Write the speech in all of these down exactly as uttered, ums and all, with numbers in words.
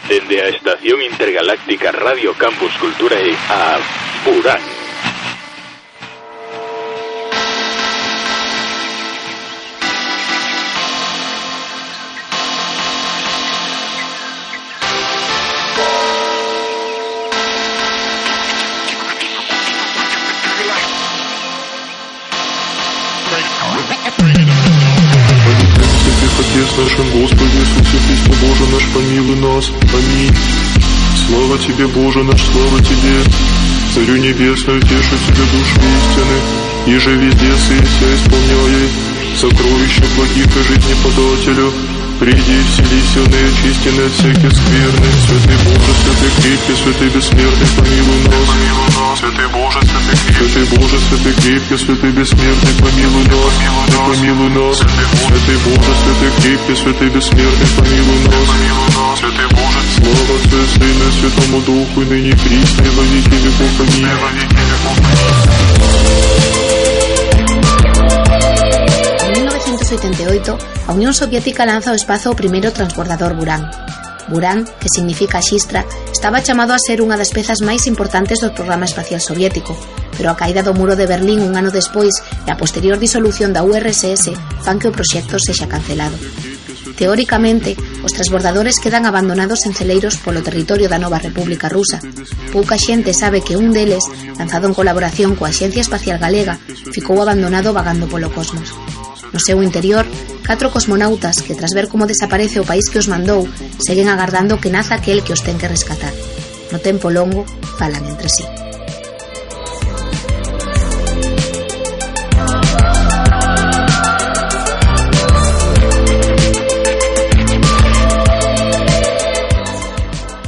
Dende a Estación Intergaláctica Radio Campus Culturae a Burán. Отец нашим, Господи Иисусе Христе, Боже наш, помилуй нас. Аминь. Слава Тебе, Боже наш, слава Тебе, Царю Небесную, тешу Тебе души истины, еже везде сыся исполняй, сокровища благих и жизни подателю. Приди, вселися, неочистенный от всяких скверных, святый Боже, святый крепкий, святый бессмертный, помилуй нас. Святый Боже, святый крепкий, святый Боже, святый крепкий, святый бессмертный, помилуй нас. Помилуй нас, святый Боже, святый крепкий, святый бессмертный, помилуй нас. Святый Боже, слава Отцу и Сыну и Святому Духу, и ныне и присно, и во веки веков. Аминь. En mil novecientos ochenta y ocho, a Unión Soviética lanza ao espazo o primeiro transbordador Buran. Buran, que significa xistra, estaba chamado a ser unha das pezas máis importantes do programa espacial soviético, pero a caída do muro de Berlín un ano despois e a posterior disolución da U R S S fan que o proxecto sexa cancelado. Teóricamente, os transbordadores quedan abandonados en celeiros polo territorio da nova República Rusa. Pouca xente sabe que un deles, lanzado en colaboración coa Axencia Espacial Galega, ficou abandonado vagando polo cosmos. No seu interior, catro cosmonautas que, tras ver como desaparece o país que os mandou, seguen agardando que naza aquel que os ten que rescatar. No tempo longo, falan entre sí.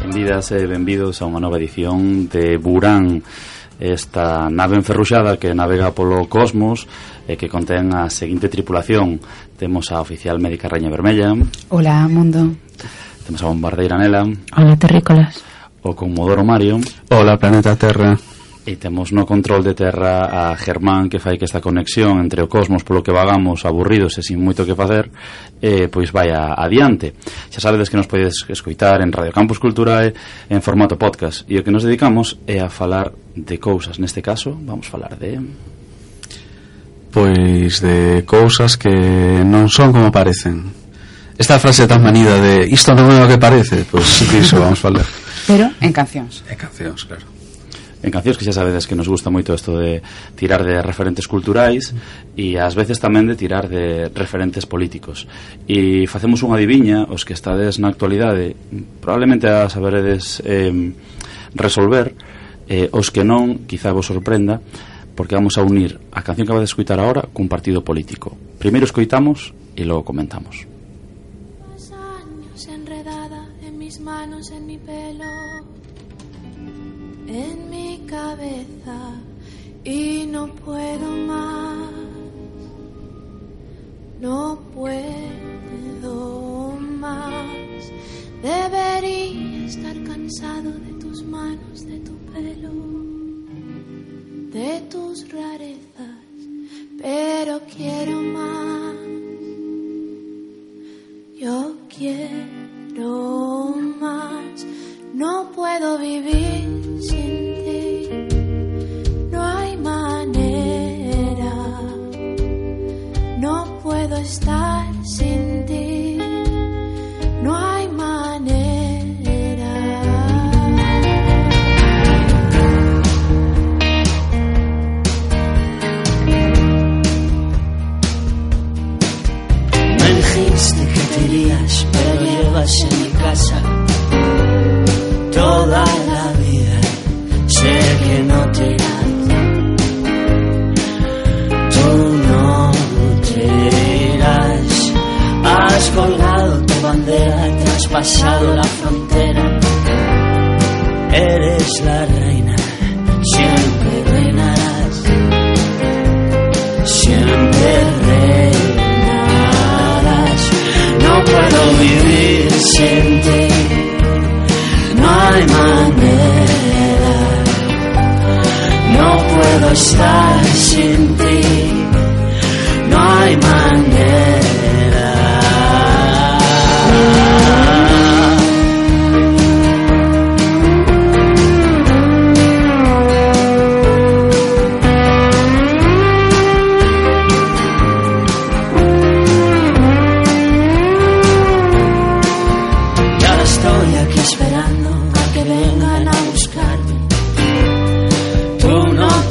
Benvidas e benvidos a unha nova edición de Buran, esta nave enferruxada que navega polo cosmos e que contén a seguinte tripulación. Temos a oficial médica Raña Vermella. Hola, mundo. Temos a bombardeira Nela. Hola, terrícolas. O conmodoro Mario. Hola, planeta Terra. E temos no control de terra a Germán, que fai que esta conexión entre o cosmos polo que vagamos aburridos e sin moito que facer, eh, pois vai a, adiante. Xa sabedes que nos podedes escoitar en Radio Campus Culturae en formato podcast, e o que nos dedicamos é a falar de cousas. Neste caso, vamos falar de... Pois de cousas que non son como parecen. Esta frase tan manida de isto non é o que parece, pois iso vamos falar. Pero en cancións. En cancións, claro. En cancións que xa sabedes que nos gusta moito isto de tirar de referentes culturais e ás veces tamén de tirar de referentes políticos. E facemos unha adiviña, os que estades na actualidade probablemente a saberedes eh, resolver, eh, os que non, quizá vos sorprenda, porque vamos a unir a canción que vais a escoitar agora cun partido político. Primeiro escoitamos e logo comentamos. Los años enredada en mis manos, en mi pelo, en mi cabeza, y no puedo más, no puedo más. Debería estar cansado de tus manos, de tu pelo, de tus rarezas, pero quiero más. Yo quiero más. No puedo vivir sin ti, no hay manera. No puedo estar sin ti, no hay manera. Me dijiste que te irías, pero llevas en mi casa toda la vida. Sé que no te irás, tú no te irás. Has colgado tu bandera, traspasado la frontera. Eres la reina, siempre reinarás, siempre reinarás. No puedo vivir sin ti, no hay manera. No puedo estar sin ti, no hay manera.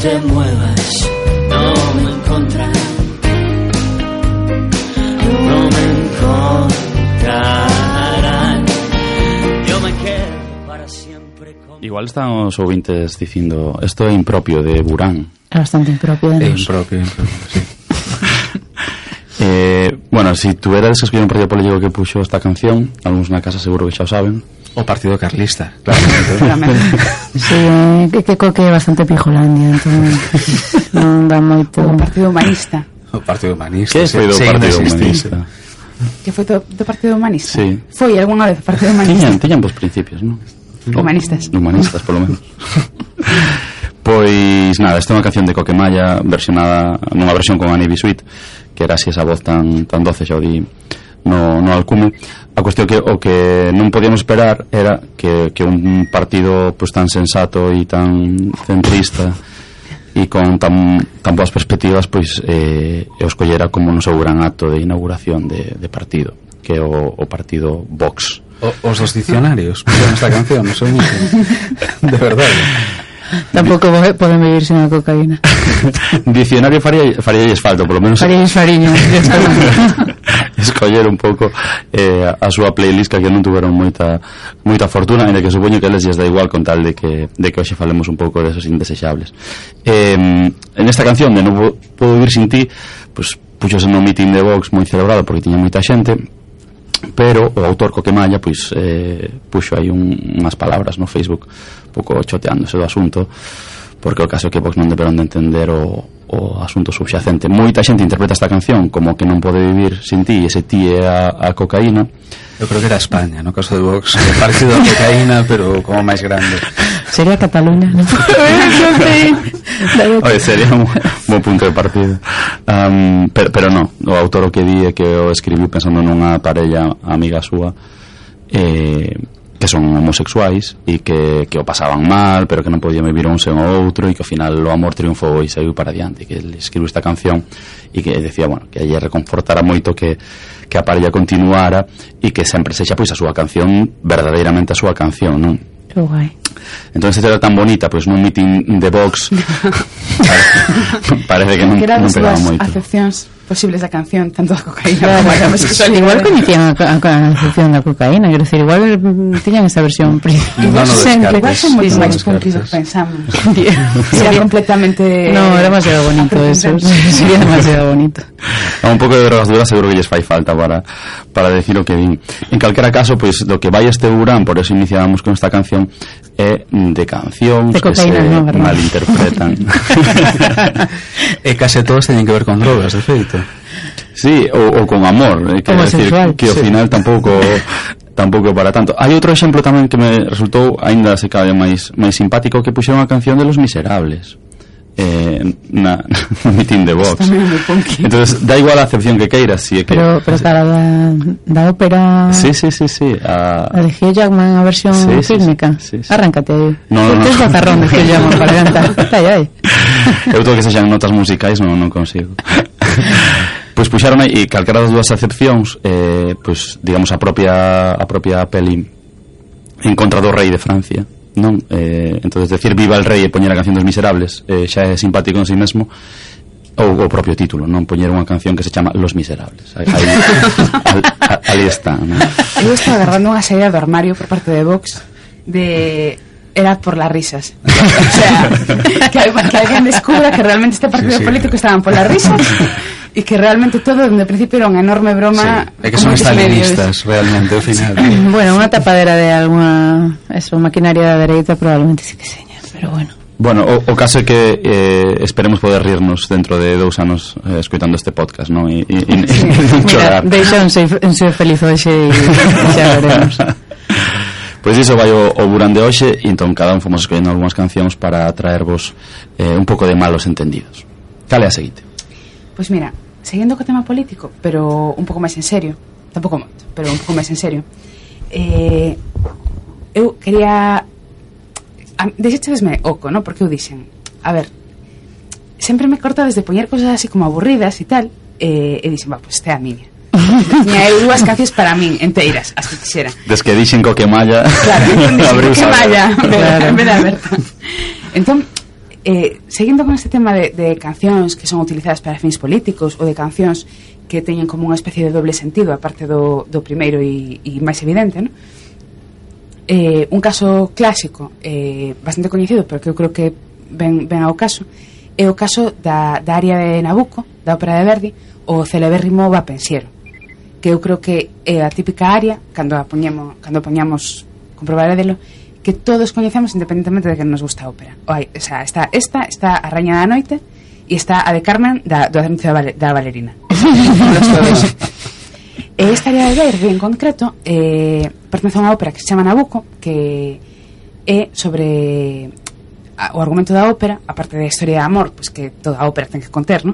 te muevas, no me encontrarán, no me encontrarán. Yo me quedo para siempre con... Igual están os ouvintes dicindo isto é impropio de Burán. É bastante impropio de É nos. impropio, impropio, sí. Eh, bueno, si tuveras que escoller un partido político que puxo esta canción, algúns na casa seguro que xa o saben. O Partido Carlista, claro. Sí, é que, que coque é bastante pijolandia, entón non dá moito. O Partido Humanista. O Partido Humanista. Que foi do sí, Partido existir. Humanista? Que foi do, do Partido Humanista? Sí. Foi algunha vez o Partido Humanista? Tiñan, tiñan vos principios, non? Humanistas. Humanistas, polo menos. Pois nada, esta é unha canción de Coquemalla versionada nunha versión con Annie Bisuit, que era así esa voz tan tan doce, xa o di no, no alcume. A cuestión que o que non podíamos esperar era que, que un partido pues, tan sensato e tan centrista e con tan, tan boas perspectivas pois eh, os collera como no seu gran acto de inauguración de, de partido, que é o, o partido Vox. O, os dos dicionarios pusieron esta canción, non sei moito. De verdade. Tampouco poden vivir sen a cocaína. Dicionario faría, faría falta, polo menos Faríais fariño. escoller un pouco eh, a súa playlist, que aquí non tuveron moita moita fortuna, en que supoño que eles lles dá igual con tal de que, de que hoxe falemos un pouco desos indesexables. Eh, en esta canción de Non podo vivir sin ti, pues, puxose no meeting de Vox moi celebrado porque tiña moita xente, pero o autor Coquemalla pois eh, puxo aí un, unhas palabras no Facebook un pouco choteándose do asunto, porque o caso é que Vox non deberon de entender o, o asunto subxacente. Moita xente interpreta esta canción como que non pode vivir sin ti, e ese ti é a, a cocaína. Eu creo que era España, no caso de Vox, o partido da cocaína, pero como máis grande. Sería Cataluña, non? Oye, sería un bom punto de partida. Um, pero, pero no, o autor o que di é que o escribiu pensando nunha parella amiga súa eh, que son homosexuais e que, que o pasaban mal, pero que non podían vivir un sen o outro, e que ao final o amor triunfou e saiu para diante, que ele escribiu esta canción e que decía, bueno, que a ella reconfortara moito que, que a parella continuara e que sempre sexa pois a súa canción, verdadeiramente a súa canción, non? Que guai. Entón, se era tan bonita, pois nun meeting de Vox parece que non, que eran non as pegaba dúas moito. acepcións posibles da canción, tanto a cocaína como a homosexualidade. Igual coñecían a, a, a concepción da cocaína, quero dicir, igual mm, tiñan esa versión principal. No, no Sempre, igual descartes. son moito Sí, máis no punky do que descartes. pensamos. Sería completamente... No, era demasiado bonito eso. Sería demasiado bonito. A un pouco de drogas duras seguro que lles fai falta para, para decir o que din. En calquera caso, pois, do que vai este Burán, por eso iniciábamos con esta canción, é de cancións De que se cocaína, no, verdad. malinterpretan. E case todos teñen que ver con drogas, de feito. Sí, ou, ou con amor, eh, quero decir Homosexual. que ao Sí. final tampouco tampouco para tanto. Hai outro exemplo tamén que me resultou aínda se cabe máis máis simpático, que puxeron a canción de Los Miserables. Eh, na, no mitin de Vox. Tamén é moi punky. Entonces, da igual a acepción que queiras, si é que Pero, pero cara da, da ópera... Sí, sí, sí, sí. A... A de Hugh Jackman, a versión Sí, sí, fílmica. sí, sí. Arráncate aí. No, no, no. Tes gozarrón de Hugh Jackman para cantar. Ai, ai. Eu todo que sexan notas musicais non, non consigo. Pois puxaron aí, e calquera das dúas acepcións, eh, pois, digamos, a propia a propia peli En contra do rei de Francia, non? Eh, entonces decir viva el rei e poñer a canción dos Miserables eh, xa é simpático en si mesmo, ou o propio título, non? Poñer unha canción que se chama Los Miserables. Aí, aí, al, a, ali está, non? Eu estaba agarrando unha saída do armario por parte de Vox de... era por las risas. O sea, que, que alguien descubra que realmente este partido Sí, sí. político estaban por las risas y que realmente todo desde el principio era unha enorme broma. Sí. É que son con moitos medios. estalinistas, realmente, ao final. Bueno, unha tapadera de alguna... Eso, maquinaria da dereita probablemente sí que seña, pero bueno. Bueno, o, o caso é que eh, esperemos poder rirnos dentro de dous anos eh, escoitando este podcast, non? E, e, e, Sí. e non Mira, chorar. deixan ser, ser feliz hoxe e xa veremos. Pois iso vai o, o Burán de hoxe, e entón cada un fomos escollendo algunhas cancións para traervos eh, un pouco de malos entendidos. Cale a seguinte? Pois mira, seguindo co tema político, pero un pouco máis en serio, tampouco moito, pero un pouco máis en serio, eh, eu quería... Deixéchedesme oco, ¿no? Porque eu dixen, a ver, sempre me corta desde poñer cosas así como aburridas e tal, eh, e dixen, va, pois este é a miña. Tiña eu dúas cancións para min, enteiras, as que quixera. Des que dixen co que malla... Claro, entón dixen, abriu que saber. malla, Claro. en vez de Alberto. Entón, eh, seguindo con este tema de, de cancións que son utilizadas para fins políticos ou de cancións que teñen como unha especie de doble sentido aparte do, do primeiro e, e máis evidente, ¿no? Eh, un caso clásico eh, bastante coñecido, pero que eu creo que ven, ven ao caso, é o caso da, da área de Nabucco, da ópera de Verdi, o celebérrimo Va Pensiero, que eu creo que é a típica área, cando a poñemos, cando poñamos comprobarádelo, que todos coñecemos independentemente de que nos gusta a ópera. O, hai, o sea, está esta, está a Raña da Noite e está a de Carmen da, do anuncio da, da Valerina. Los todos. E esta área de Verdi en concreto eh, pertence a unha ópera que se chama Nabucco, que é sobre a, o argumento da ópera, aparte da historia de amor, pois que toda a ópera ten que conter, ¿no?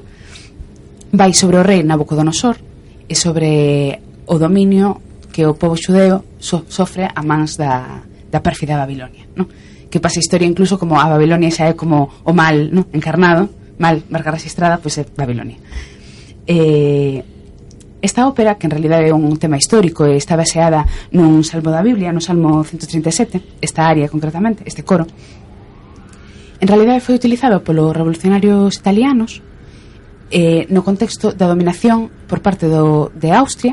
Vai sobre o rei Nabucodonosor e sobre o dominio que o pobo xudeo so, sofre a mans da, da pérfida Babilonia, ¿no? Que pasa a historia incluso como a Babilonia xa é como o mal, ¿no? Encarnado, mal, marca registrada, pois é Babilonia. Eh, esta ópera, que en realidad é un tema histórico e está baseada nun salmo da Biblia, no Salmo ciento treinta e sete, esta área concretamente, este coro, en realidad foi utilizado polos revolucionarios italianos eh, no contexto da dominación por parte do, de Austria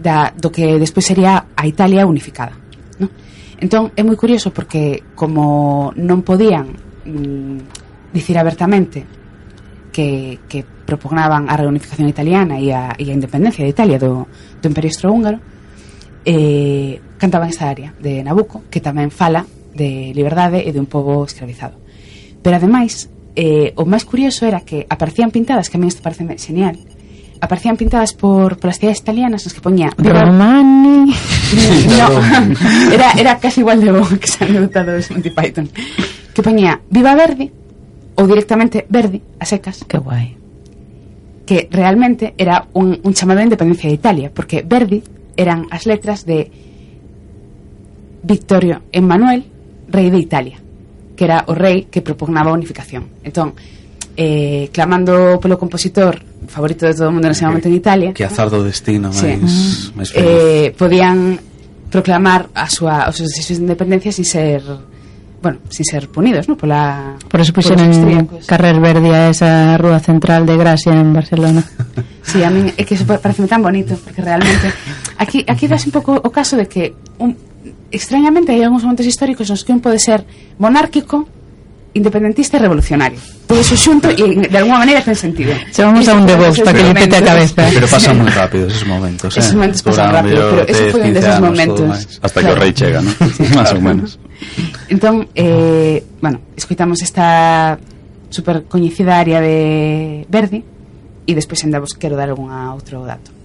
da, do que despois sería a Italia unificada, ¿no? Entón é moi curioso porque como non podían mm, dicir abertamente que, que propugnaban a reunificación italiana e a, e a independencia de Italia do, do Imperio Austrohúngaro, eh, cantaban esta área de Nabucco, que tamén fala de liberdade e de un pobo escravizado. Pero ademais, eh, o máis curioso era que aparecían pintadas, que a mí isto parece genial, aparecían pintadas por, por as cidades italianas nas que poñía Romani. No, era, era casi igual de bo que se han dotado de Monty Python, que poñía Viva Verdi ou directamente Verdi, a secas. Que guai. Que realmente era un, un chamado de independencia de Italia, porque Verdi eran as letras de Vittorio Emanuel, rei de Italia, que era o rei que propugnaba a unificación. Entón, eh, clamando polo compositor favorito de todo o mundo nese momento en Italia, que azar do destino máis, sí. máis eh, podían proclamar a súa, os seus desexos de independencia sin ser, bueno, sin ser punidos, ¿no? Pola, por eso puxeron Carrer Verdi a esa rúa central de Gracia en Barcelona. Sí, a mí é que eso parece tan bonito, porque realmente aquí aquí das un pouco o caso de que un, extrañamente hai algúns momentos históricos nos que un pode ser monárquico, independentista e revolucionario, todo eso xunto e de alguma maneira ten sentido. Chamamos a un de Vox para que le pete a cabeza. Pero pasan moi rápido esos momentos, eh? Esos momentos pasan rápido, pero ese foi un deses momentos hasta claro, que o rei chega, ¿no? Sí, más ou menos. Entón, eh, bueno, escoitamos esta super coñecida área de Verdi e despois ainda vos quero dar algún outro dato.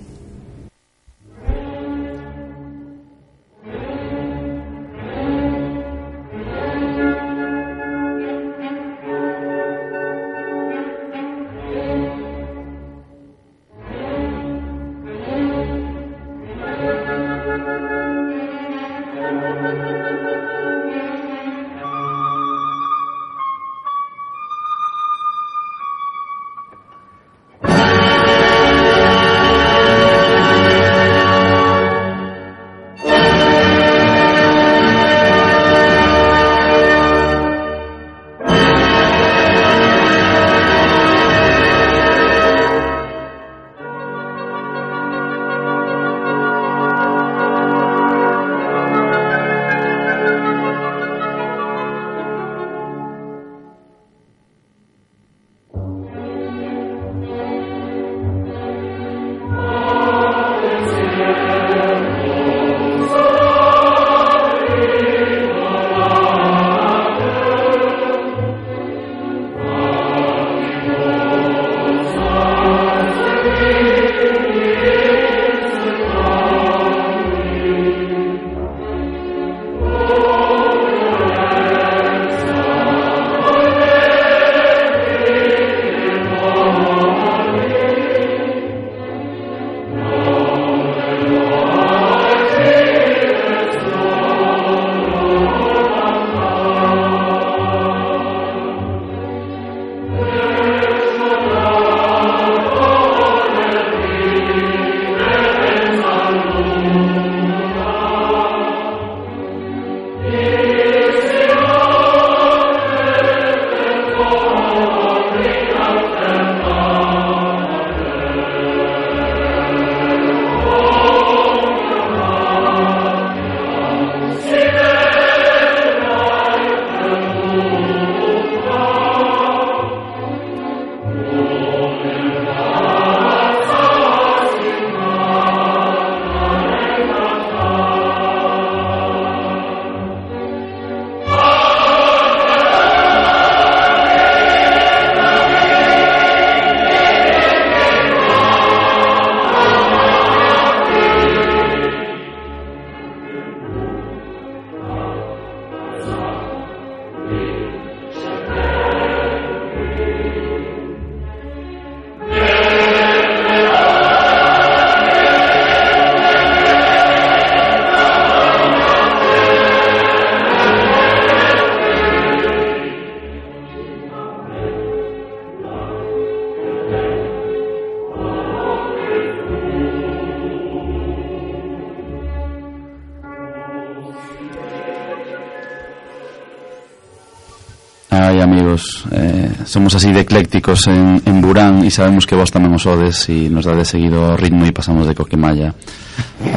Ai, amigos, eh, somos así de eclécticos en, en Burán e sabemos que vos tamén os odes e nos dade seguido o ritmo e pasamos de Coquemalla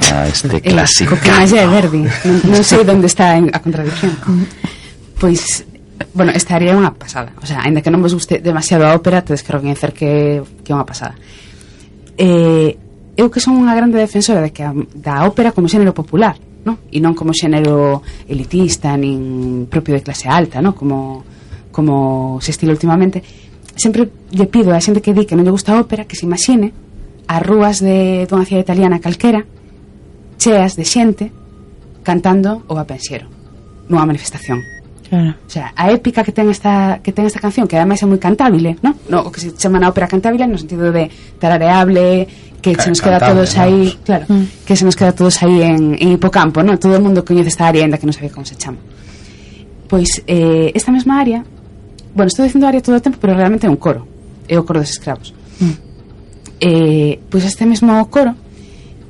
a este clásico. Coquemalla é Verdi, non, non sei onde está a contradicción. Pois, bueno, esta área é unha pasada, o sea, ainda que non vos guste demasiado a ópera, tedes que recoñecer que, que é unha pasada. Eh, eu que son unha grande defensora de que a, da ópera como xénero popular, ¿no? E non como xénero elitista nin propio de clase alta, ¿no? Como como se estila últimamente. Sempre lle pido a xente que di que non lle gusta a ópera que se imagine as rúas de dunha cidade italiana calquera cheas de xente cantando o Va Pensiero nunha manifestación. Claro. O sea, a épica que ten esta que ten esta canción, que ademais é moi cantábile, ¿no? No, o que se chama na ópera cantábile no sentido de tarareable, que se nos queda cantable, todos aí, vamos. claro, mm. que se nos queda todos aí en, en hipocampo, ¿no? Todo o mundo coñece esta área, ainda que non sabía como se chama. Pois eh, esta mesma área, bueno, estou dicindo área todo o tempo, pero realmente é un coro, é o coro dos escravos. Mm. Eh, pois este mesmo coro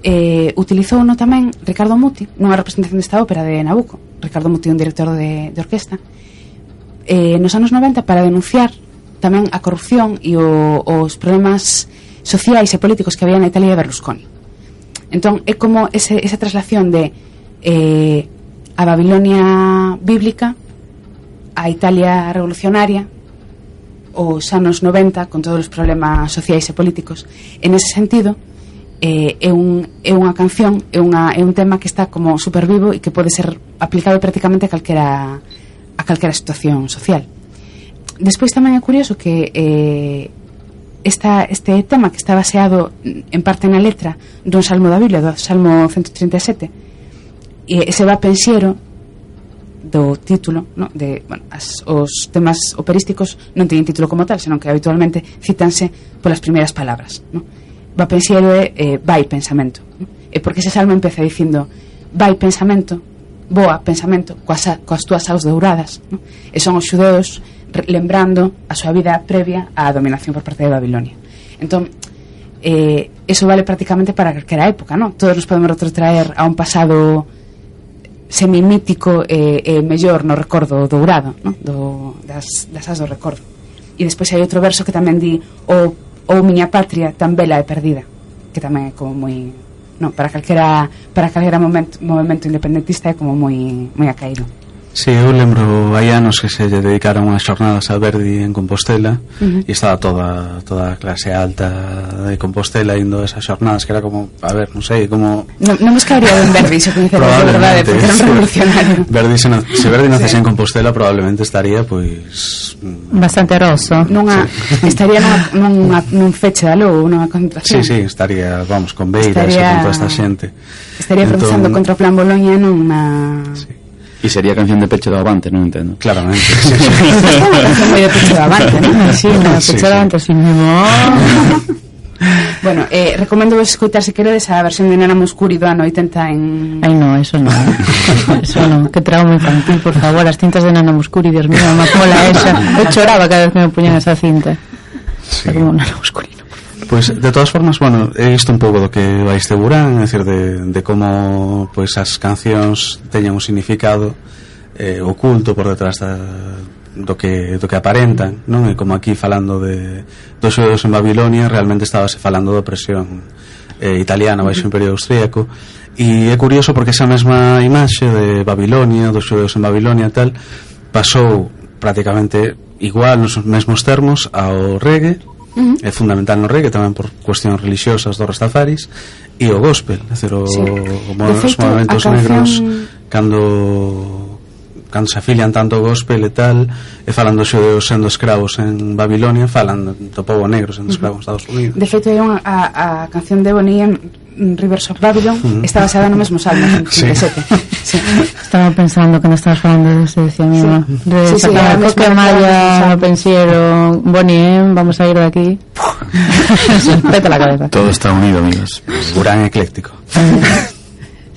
eh, utilizou no tamén Ricardo Muti nunha representación desta ópera de Nabucco. Ricardo Muti é un director de, de orquesta eh, nos anos noventa para denunciar tamén a corrupción e o, os problemas sociais e políticos que había na Italia de Berlusconi. Entón é como ese, esa traslación de eh, a Babilonia bíblica a Italia revolucionaria os anos noventa con todos os problemas sociais e políticos. En ese sentido eh, é, un, é unha canción, é, unha, é un tema que está como super vivo e que pode ser aplicado prácticamente a calquera a calquera situación social. Despois tamén é curioso que eh, esta, este tema que está baseado en parte na letra dun salmo da Biblia, do Salmo ciento treinta e sete, e ese Va Pensiero do título, no? De, bueno, as, os temas operísticos non teñen título como tal, senón que habitualmente citanse polas primeiras palabras, no? Va Pensiero é eh, vai pensamento, no? E porque ese salmo empeza dicindo vai pensamento, boa pensamento coas, coas túas aos douradas, no? E son os xudeus lembrando a súa vida previa á dominación por parte de Babilonia. Entón eh, eso vale prácticamente para calquera época, no? Todos nos podemos retrotraer a un pasado semimítico e eh, eh, mellor no recordo dourado, no? Do, das, das as do recordo. E despois hai outro verso que tamén di o, o miña patria tan bela e perdida, que tamén é como moi, no, para calquera para calquera momento, movimento independentista é como moi moi acaído. Sí, eu lembro hai anos que se lle dedicaron unhas xornadas a Verdi en Compostela, uh-huh. e estaba toda toda a clase alta de Compostela indo a esas xornadas, que era como, a ver, non sei, como... Non, non me escaría ben Verdi, se coñecera de verdade, porque era un revolucionario. Verdi, se, no, se Verdi nacese sí. en Compostela, probablemente estaría, pois... bastante roso. Nunha, sí. Estaría nunha, nunha, nun feche da lou, nunha concentración. Sí, sí, estaría, vamos, con Beiras estaría, e con toda esta xente. Estaría entón, protestando contra o plan Boloña nunha... Sí. E sería canción de pecho do Avante, non entendo. Claramente. Sí, sí. Canción moi de pecho do Avante, non? Sí, no, sí, pecho do Avante, sí. Bueno, eh, recomendo vos escoitar se queredes a versión de Nana Mouskouri do ano oitenta en... Ai, no, eso no. Eso no. Que trauma infantil, por favor. As cintas de Nana Mouskouri, Dios mío, má cola esa. Eu choraba cada vez que me poñan esa cinta. Sí. Como Nana Mouskouri. Pois, pues, de todas formas, bueno, he visto un pouco do que vai este Burán, é dicir, de, de como pois, as cancións teñan un significado eh, oculto por detrás da, do que do que aparentan, non? E como aquí falando de dos xudeus en Babilonia, realmente estábase falando da opresión eh, italiana baixo o Imperio Austríaco, e é curioso porque esa mesma imaxe de Babilonia, dos xudeus en Babilonia e tal, pasou prácticamente igual nos mesmos termos ao reggae. Uh-huh. É fundamental no reggae tamén por cuestións religiosas dos rastafaris e o gospel, é dicir, o, sí. como os feito, movimentos canción... negros cando cando se afilian tanto o gospel e tal, e falando xudeus sendo escravos en Babilonia, falan do povo negro sendo escravos en Estados Unidos. De feito, hai unha, a, a canción de Bonnie M, Rivers of Babylon, uh-huh. está basada no mesmo salmo, en cincuenta e sete. Sí. Estaba pensando que non estabas falando de ese, decía mi mamá. Sí. De sí, sacar sí, Coquemalla, Pensiero, Bonnie M, vamos a ir de aquí. Vete la cabeza. Todo está unido, amigos. Burán ecléctico.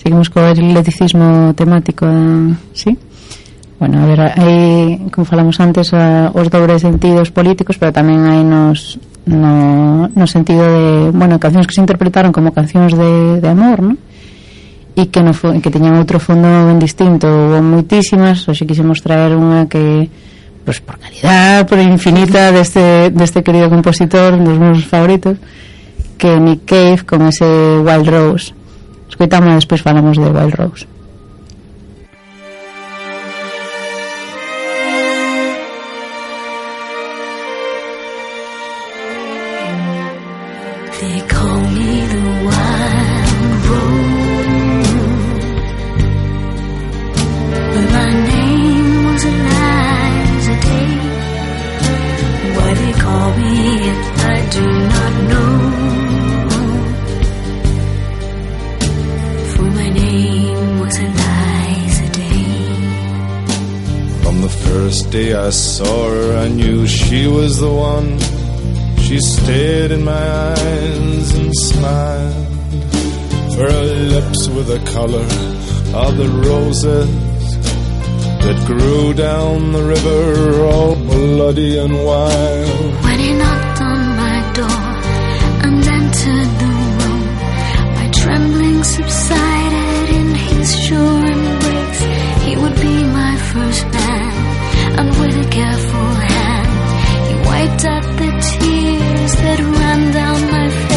Seguimos co eclecticismo temático, ¿sí? Bueno, a ver, hai, como falamos antes, a, os dobres sentidos políticos, pero tamén hai nos no, no sentido de, bueno, cancións que se interpretaron como cancións de, de amor, ¿no? E que, no, que teñan outro fondo ben distinto. Houve moitísimas, hoxe quixemos traer unha que pues por calidad, por infinita deste, deste querido compositor, un dos meus favoritos, que Nick Cave con ese Wild Rose. Escoitamos e despois falamos de Wild Rose. They call me the Wild Rose, but my name was Eliza Day. Why they call me it, I do not know, for my name was Eliza Day. From the first day I saw her, I knew she was the one. She stared in my eyes and smiled, for her lips were the color of the roses that grew down the river, all bloody and wild. When he knocked on my door and entered the room, my trembling subsided in his sure embrace. He would be my first man, and with a careful hand he wiped out the tears that ran down my face.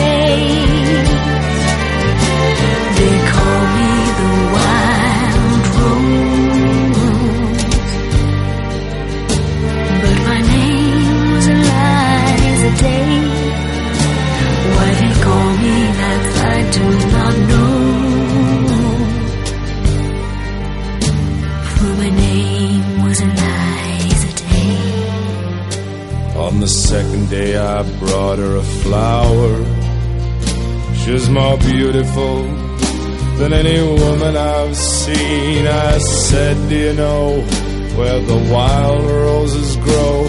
They call me the Wild Rose, but my name was Eliza Day. Why they call me that I do not know, for my name was Eliza Day. On the second day I brought her a flower. She was more beautiful than any woman I've seen. I said, do you know where the wild roses grow,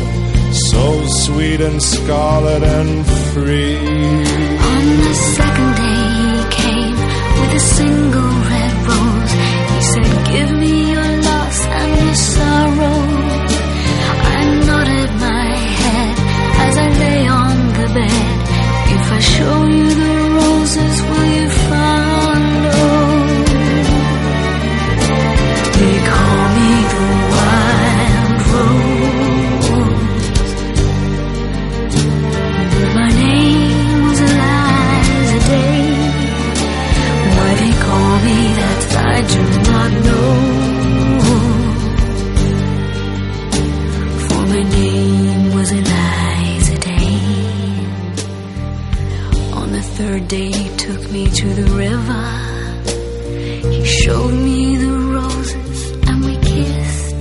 so sweet and scarlet and free? On the second day he came with a single red rose. He said, give me your loss and your sorrow. I nodded my head as I lay on the bed. If I show you the roses, will you follow? They call me the Wild Rose, but my name was Eliza Day. Why they call me that I do not know, for my name was Eliza Day. On the third day he took me to the river. He showed me the roses and we kissed,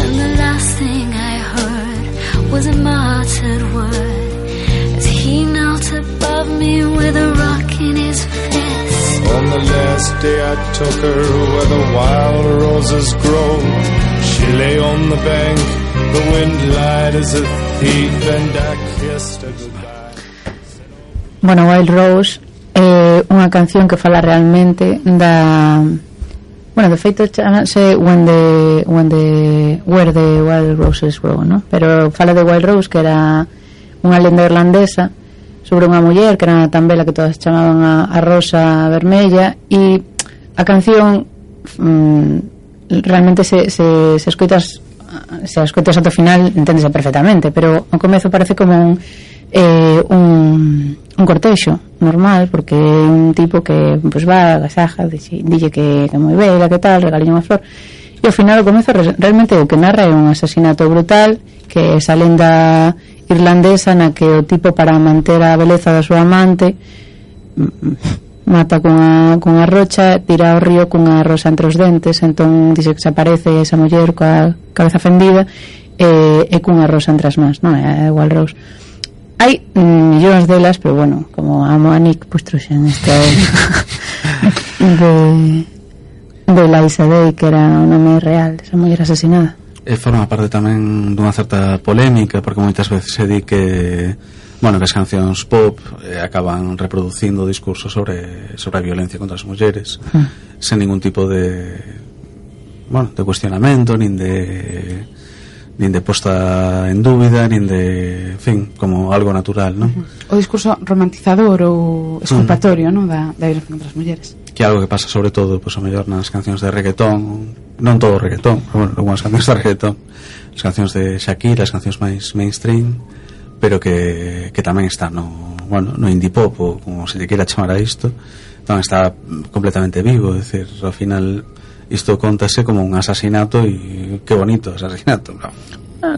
and the last thing I heard was a muttered word as he knelt above me with a rock in his fist. On the last day I took her where the wild roses grow. She lay on the bank, the wind lied as a thief, and I kissed her goodbye. Bueno, Wild Rose é unha canción que fala realmente da... Bueno, de feito chamase When the, when the Where the Wild Roses Grow, ¿no? Pero fala de Wild Rose, que era unha lenda irlandesa sobre unha muller que era tan bela que todas chamaban a, a Rosa Vermella, e a canción mm, realmente se, se, se escoitas se escoitas ata o final enténdese perfectamente, pero ao comezo parece como un eh, un, un cortexo normal, porque é un tipo que pues, va, agasaja, dille que, que moi bela, que tal, regalille unha flor, e ao final ao comezo realmente o que narra é un asasinato brutal, que é esa lenda irlandesa na que o tipo, para manter a beleza da súa amante, mata con a, con a rocha, tira ao río con a rosa entre os dentes. Entón dice que se aparece esa muller coa cabeza fendida e, e cunha rosa entre as mans, non é igual Rose. Hai millóns delas, pero bueno, como amo a Nick, pues trouxen esta de de Eliza Day, que era o nome real desa muller asesinada. E forma parte tamén dunha certa polémica, porque moitas veces se di que, bueno, que as cancións pop eh, acaban reproducindo discursos sobre sobre a violencia contra as mulleres, mm. sen ningún tipo de, bueno, de cuestionamento, nin de nin de posta en dúbida, nin de, en fin, como algo natural, ¿no? Uh-huh. O discurso romantizador ou exculpatorio, uh-huh. ¿no? da, da violencia contra as mulleres. que é algo que pasa sobre todo, pois, o mellor nas cancións de reggaetón, non todo reggaetón, pero bueno, algunhas cancións de reggaetón, as cancións de Shakira, as cancións máis mainstream, pero que, que tamén está no, bueno, no indie pop, ou como se lle queira chamar a isto, tamén está completamente vivo, é dicir, ao final isto contase como un asasinato, e que bonito asasinato, claro.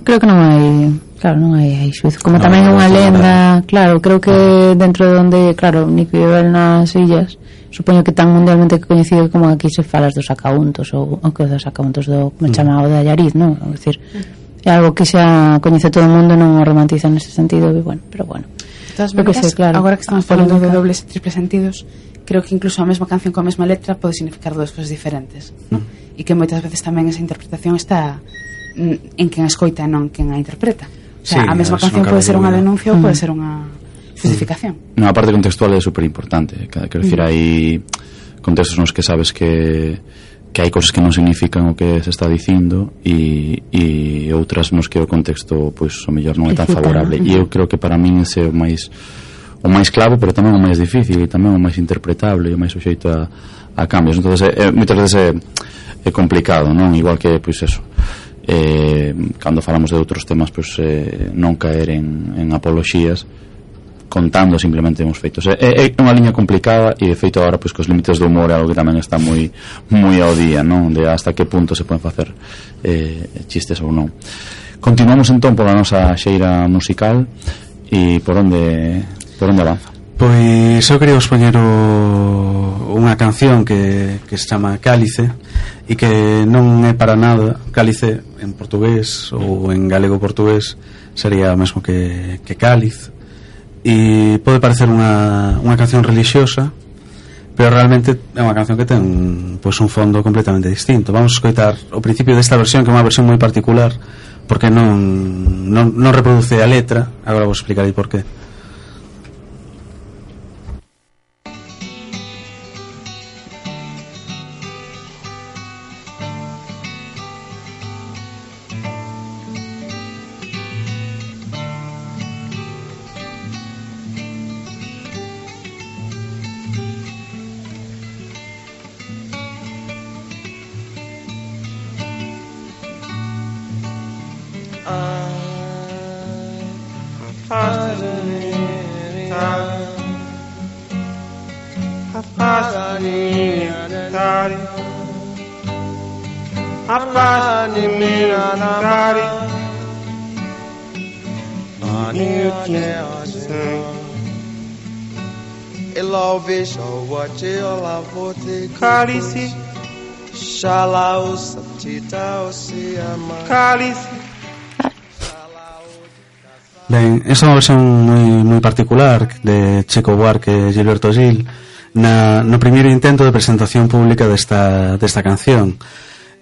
Creo que non hai, claro, non hai, hai xuizo, como no, tamén é unha lenda, claro, creo que dentro de onde, claro, Nico vive nas illas, supoño que tan mundialmente coñecido como aquí se falas dos sacauntos ou, ou que dos sacauntos do, como mm. chamado de Allariz, non? É dicir, é algo que xa coñece todo o mundo, non o romantiza nese sentido, e bueno, pero bueno. De todas maneiras, que sei, claro, agora que estamos falando de dobles e triples sentidos, creo que incluso a mesma canción con a mesma letra pode significar dúas cousas diferentes, non? Mm. E que moitas veces tamén esa interpretación está en quen a escoita e non quen a interpreta. O sea, sí, a mesma canción pode ser unha denuncia ou pode ser unha justificación. No, a parte contextual é super importante. Quero dicir, hai contextos nos que sabes que que hai cousas que non significan o que se está dicindo e, e outras nos que o contexto, pois, o mellor non é tan favorable. E eu creo que para min ese é o máis o máis clave, pero tamén o máis difícil e tamén o máis interpretable e o máis suxeito a, a cambios. Entón, é, moitas veces é, é complicado, non? Igual que, pois, eso, eh, cando falamos de outros temas, pois, eh, non caer en, en apoloxías contando simplemente uns feitos. É, é unha liña complicada e de feito agora, pois, cos límites do humor é algo que tamén está moi moi ao día, non? De hasta que punto se poden facer eh, chistes ou non. Continuamos entón pola nosa xeira musical e por onde por onde avanza? Pois eu quería expoñer o, unha canción que, que se chama Cálice e que non é para nada cálice en portugués ou en galego portugués sería o mesmo que, que cáliz, e pode parecer unha, unha canción religiosa, pero realmente é unha canción que ten, pois, un fondo completamente distinto. Vamos a escoitar o principio desta versión, que é unha versión moi particular porque non, non, non reproduce a letra. Agora vos explicarei por qué. Cálice, cálice. Ben, esa é unha versión moi, moi particular de Chico Buarque e Gilberto Gil na, no primeiro intento de presentación pública desta, desta canción.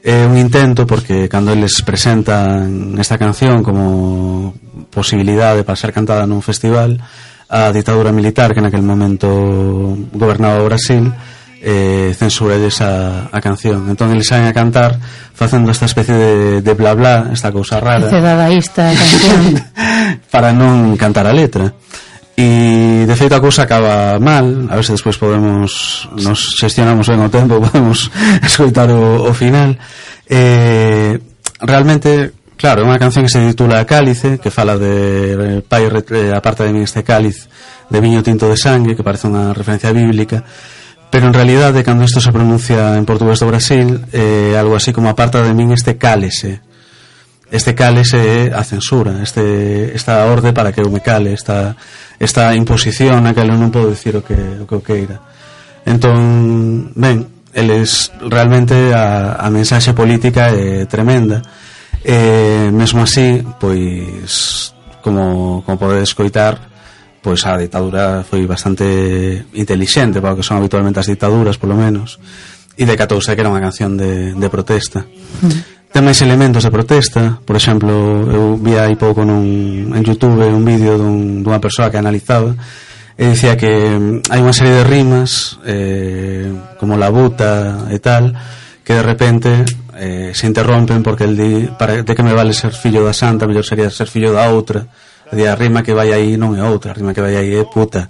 É un intento porque cando eles presentan esta canción como posibilidade para ser cantada nun festival, a ditadura militar que naquel momento gobernaba o Brasil eh, censurelles a, a canción. Entón eles saen a cantar facendo esta especie de, de bla bla, esta cousa rara, ese dadaísta canción para non cantar a letra. E de feito a cousa acaba mal. A ver se despois podemos, nos xestionamos ben o tempo, podemos escoitar o, o final. eh, realmente, claro, é unha canción que se titula Cálice, que fala de pai, aparta de min este cáliz de viño tinto de sangue, que parece unha referencia bíblica, pero en realidade cando isto se pronuncia en portugués do Brasil é eh, algo así como aparta de min este cálese. Este cálese é a censura, este, esta orde para que eu me cale, esta, esta imposición a que eu non podo dicir o que, o que eu queira. Entón, ben, eles realmente a, a mensaxe política é tremenda. E mesmo así, pois, como, como podedes escoitar, pois a ditadura foi bastante intelixente para o que son habitualmente as ditaduras, polo menos, e decatouse que era unha canción de, de protesta. Mm. Ten máis elementos de protesta. Por exemplo, eu vi aí pouco nun, en YouTube un vídeo dun, dunha persoa que analizaba e dicía que hai unha serie de rimas eh, como la buta e tal, que de repente eh, se interrompen porque el di, para, de que me vale ser fillo da santa, mellor sería ser fillo da outra. a rima que vai aí non é outra, a rima que vai aí é puta.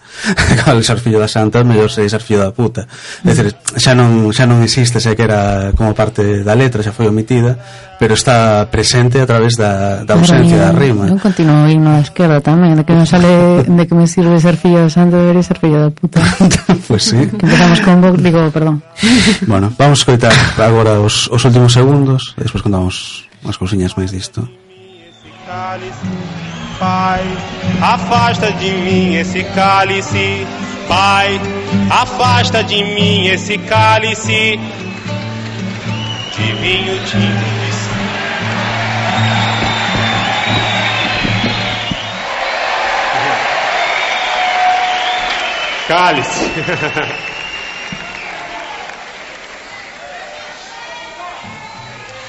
Cal ser fillo da santa, mellor sei ser fillo da puta. É dicir, xa non, xa non existe, xa que era como parte da letra, xa foi omitida, pero está presente a través da, da ausencia da rima. Eu continuo o himno da esquerda tamén, de que me sale, de que me sirve ser fillo da santa, debería ser fillo da puta. Pues sí. Que empezamos con Vox, digo, perdón. Bueno, vamos a escoitar agora os, os últimos segundos, e despois contamos unhas cousiñas máis disto. Pai, afasta de mim esse cálice. Pai, afasta de mim esse cálice de vinho tinto. Cálice.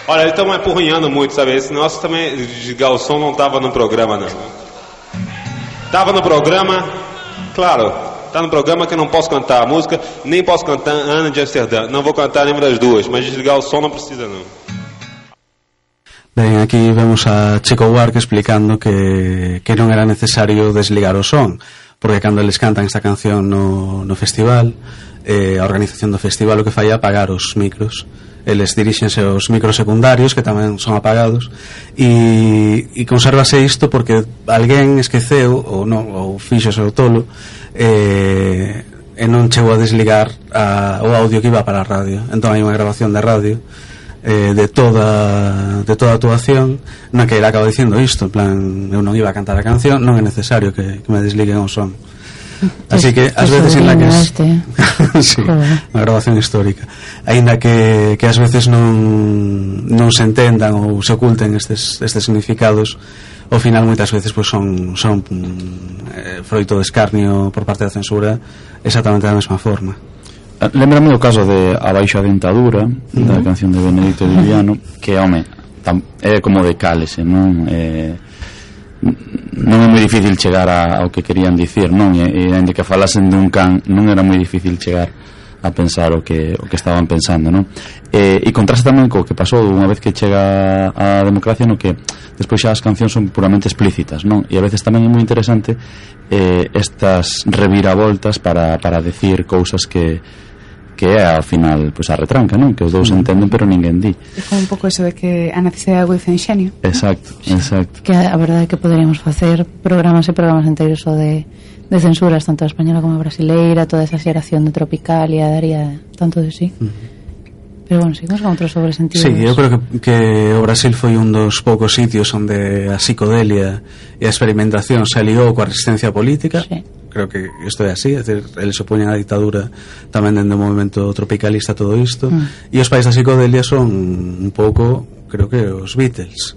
Olha, eles estão empurrinhando muito, sabe? Esse nosso também, desligar o som, não estava no programa, não. Estava no programa, claro, está no programa que eu não posso cantar a música, nem posso cantar Ana de Amsterdã. Não vou cantar nenhuma das duas, mas desligar o som não precisa, não. Ben, aquí vemos a Chico Buarque explicando que, que non era necesario desligar o son, porque cando eles cantan esta canción no, no festival, eh, a organización do festival o que fai é apagar os micros. Eles dirixense aos micros secundarios que tamén son apagados e, e conservase isto porque alguén esqueceu ou, non, ou fixose o tolo e, e non chegou a desligar a, o audio que iba para a radio. Entón hai unha grabación de radio eh, de toda de toda a actuación na que ele acaba dicindo isto, en plan, eu non iba a cantar a canción, non é necesario que, que me desliguen o son. Así que ás veces en la que es, sí, unha grabación histórica, aínda que, que ás veces non non se entendan ou se oculten estes, estes significados, ao final moitas veces pues, son, son eh, froito de escarnio por parte da censura exactamente da mesma forma. Lembrame o caso de Abaixo a dentadura, uh-huh, da canción de Benedito Viviano, que, home, tam, é como de cálese, non? Eh, non é moi difícil chegar a, ao que querían dicir, non? E, e ainda que falasen dun can, non era moi difícil chegar a pensar o que o que estaban pensando, non? E, e contrasta tamén co que pasou unha vez que chega a democracia, no que despois xa as cancións son puramente explícitas, non? E a veces tamén é moi interesante eh, estas reviravoltas para, para decir cousas que que é ao final pues, a retranca, non? Que os dous entenden pero ninguén di. É como un pouco eso de que a necesidade agudiza o enxenio. Exacto, exacto. Que a verdade é que poderíamos facer programas e programas enteiros o de, de censuras, tanto a española como a brasileira, toda esa xeración de Tropicalia daría tanto de sí. Uh-huh. Pero bueno, seguimos con outros sobresentidos. Sí, eu creo que, que o Brasil foi un dos poucos sitios onde a psicodelia e a experimentación se aliou coa resistencia política. Sí. Creo que isto é así, é dicir, eles se opoñen á dictadura tamén dende o movimento tropicalista todo isto, mm. e os países da psicodelia son un pouco, creo que os Beatles.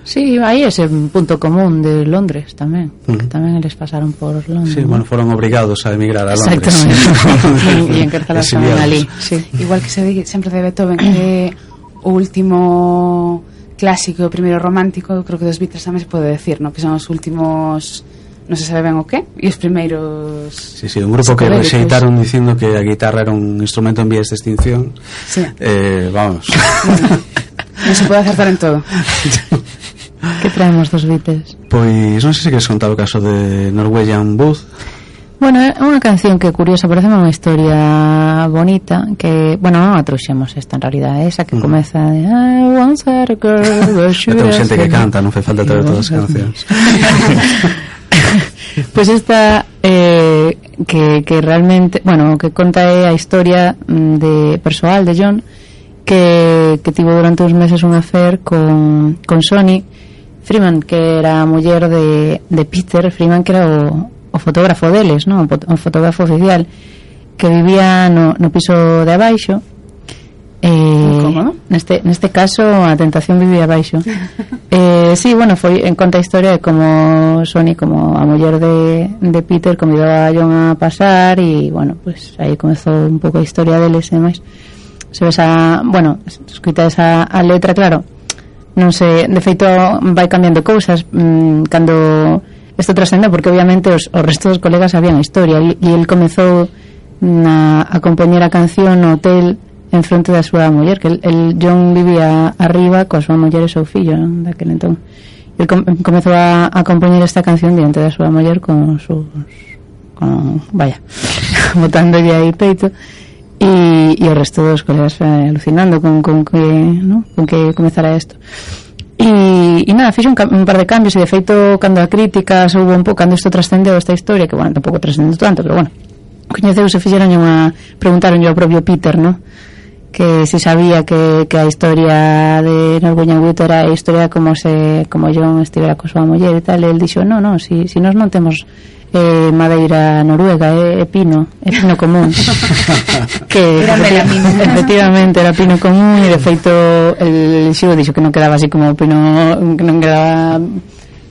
Sí, hai ese punto común de Londres tamén, porque mm. tamén eles pasaron por Londres. Sí, ¿no? Bueno, foron obrigados a emigrar a Londres. Exactamente. E encarcelados tamén ali. Sí. Igual que se di sempre de Beethoven, que o último clásico, o primeiro romántico, creo que dos Beatles tamén se pode decir, ¿no? Que son os últimos, non se sabe ben o que, e os primeiros. Sí, sí, un grupo que rexeitaron dicindo que a guitarra era un instrumento en vías de extinción. Sí. Eh, vamos. Bueno, non se pode acertar en todo. Que traemos dos Beatles? Pois non sei se queres contar o caso de Norwegian Wood. Bueno, é unha canción que curiosa, parece unha historia bonita, que, bueno, non a trouxemos esta en realidad, esa que mm. comeza de I once had a girl. Ten xente que canta, non fai falta traer todas as cancións. Pois pues esta eh, que, que realmente, bueno, que conta é a historia de persoal de John que, que tivo durante uns meses un affair con, con Sonny Freeman, que era a muller de, de Peter Freeman, que era o, o fotógrafo deles, ¿no? O fotógrafo oficial, que vivía no, no piso de abaixo. Eh, ¿Cómo? Neste, neste caso a tentación vivía abaixo. eh, sí, bueno, foi en conta a historia de como Sonny, como a muller de, de Peter, convidou a John a pasar e, bueno, pues aí comezou un pouco a historia deles e máis. Se ves a, bueno, escuta esa a letra, claro, non sei, de feito vai cambiando cousas mmm, cando isto trascende, porque obviamente os, os restos dos colegas sabían a historia e, e el comezou na, a compoñer a canción no hotel en fronte da súa muller, que el, el John vivía arriba coa súa muller e seu fillo, non? Daquel entón, el com comezou a, a compoñer esta canción diante da súa muller con sus con, vaya botándolle aí peito e, e o resto dos colegas eh, alucinando con, con que ¿no? con que comezara isto e, e nada, fixe un, un par de cambios e de feito cando a crítica houve un pouco cando isto trascendeu esta historia que bueno, tampouco trascendeu tanto pero bueno coñeceuse fixeron unha preguntaron ao propio Peter ¿no? Que si sabía que, que a historia de Norwegian Wood era a historia como se como John estivera co súa muller e tal, e el dixo, no, no, si, si nós non temos eh, madeira noruega, é eh, pino é pino común que era melamina efectivamente era pino común e de feito el xigo dixo que non quedaba así como pino que non quedaba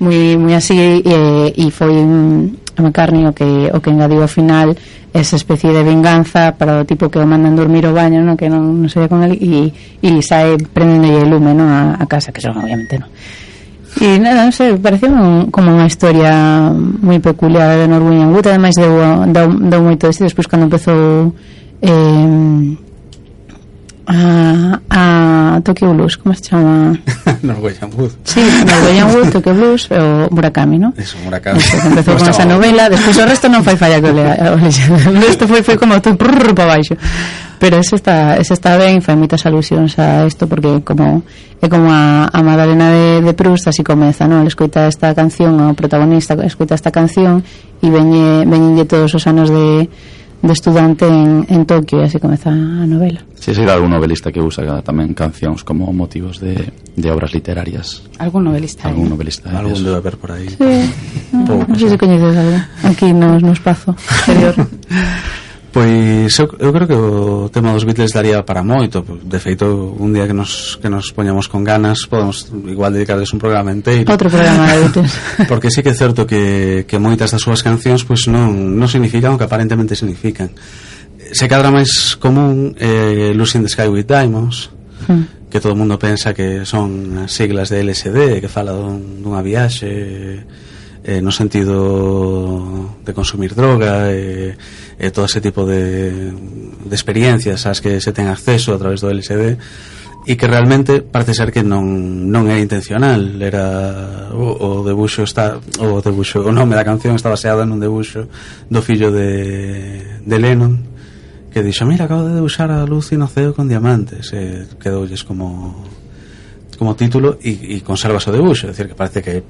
moi, moi así e, e foi a McCartney o que, o que engadiu ao final esa especie de venganza para o tipo que o mandan dormir o baño, ¿no? Que non, non se ve con él e, e sae prendendo el lume, ¿no? a, a casa, que son obviamente no e nada, non sei, pareceu un, como unha historia moi peculiar de Norwegian Wood, ademais deu, deu, deu moito de si despois cando empezou eh, a, a Tokyo Blues, como se chama? Norwegian Wood. Sí, Norwegian Wood, Tokyo Blues o Murakami, ¿no? Eso, Murakami. Eso, empezou con esa novela, despois o resto non fai falla que o lea, o resto foi, foi como todo prrr para baixo. Pero ese está, ese está ben, fai moitas alusións a isto porque como é como a, a Madalena de, de Proust, así comeza, ¿no? El escoita esta canción, o protagonista escoita esta canción e veñe, veñenlle todos os anos de de estudante en, en Tokio e así comeza a novela. Si, sí, sí, algún novelista que usa tamén cancións como motivos de, de obras literarias. Algún novelista. Algún novelista. Algún debe haber por aí. Sí. No, non sei se coñeces algo aquí no, no espazo exterior. Pois eu, eu creo que o tema dos Beatles daría para moito. De feito, un día que nos, que nos poñamos con ganas podemos igual dedicarles un programa inteiro. Outro programa de Beatles. Porque sí que é certo que, que moitas das súas cancións pois non, non significan o que aparentemente significan. Se cadra máis común eh, Lucy in the Sky with Diamonds, hmm. que todo o mundo pensa que son as siglas de L S D, que fala dun, dunha viaxe eh, no sentido de consumir droga e eh, todo ese tipo de, de experiencias ás que se ten acceso a través do L S D e que realmente parece ser que non, non era intencional, era o, o debuxo está o debuxo, o nome da canción está baseado nun debuxo do fillo de, de Lennon que dixo, mira, acabo de debuxar a Lucy no ceo con diamantes e quedoulles como como título e, e conservas o debuxo, é dicir, que parece que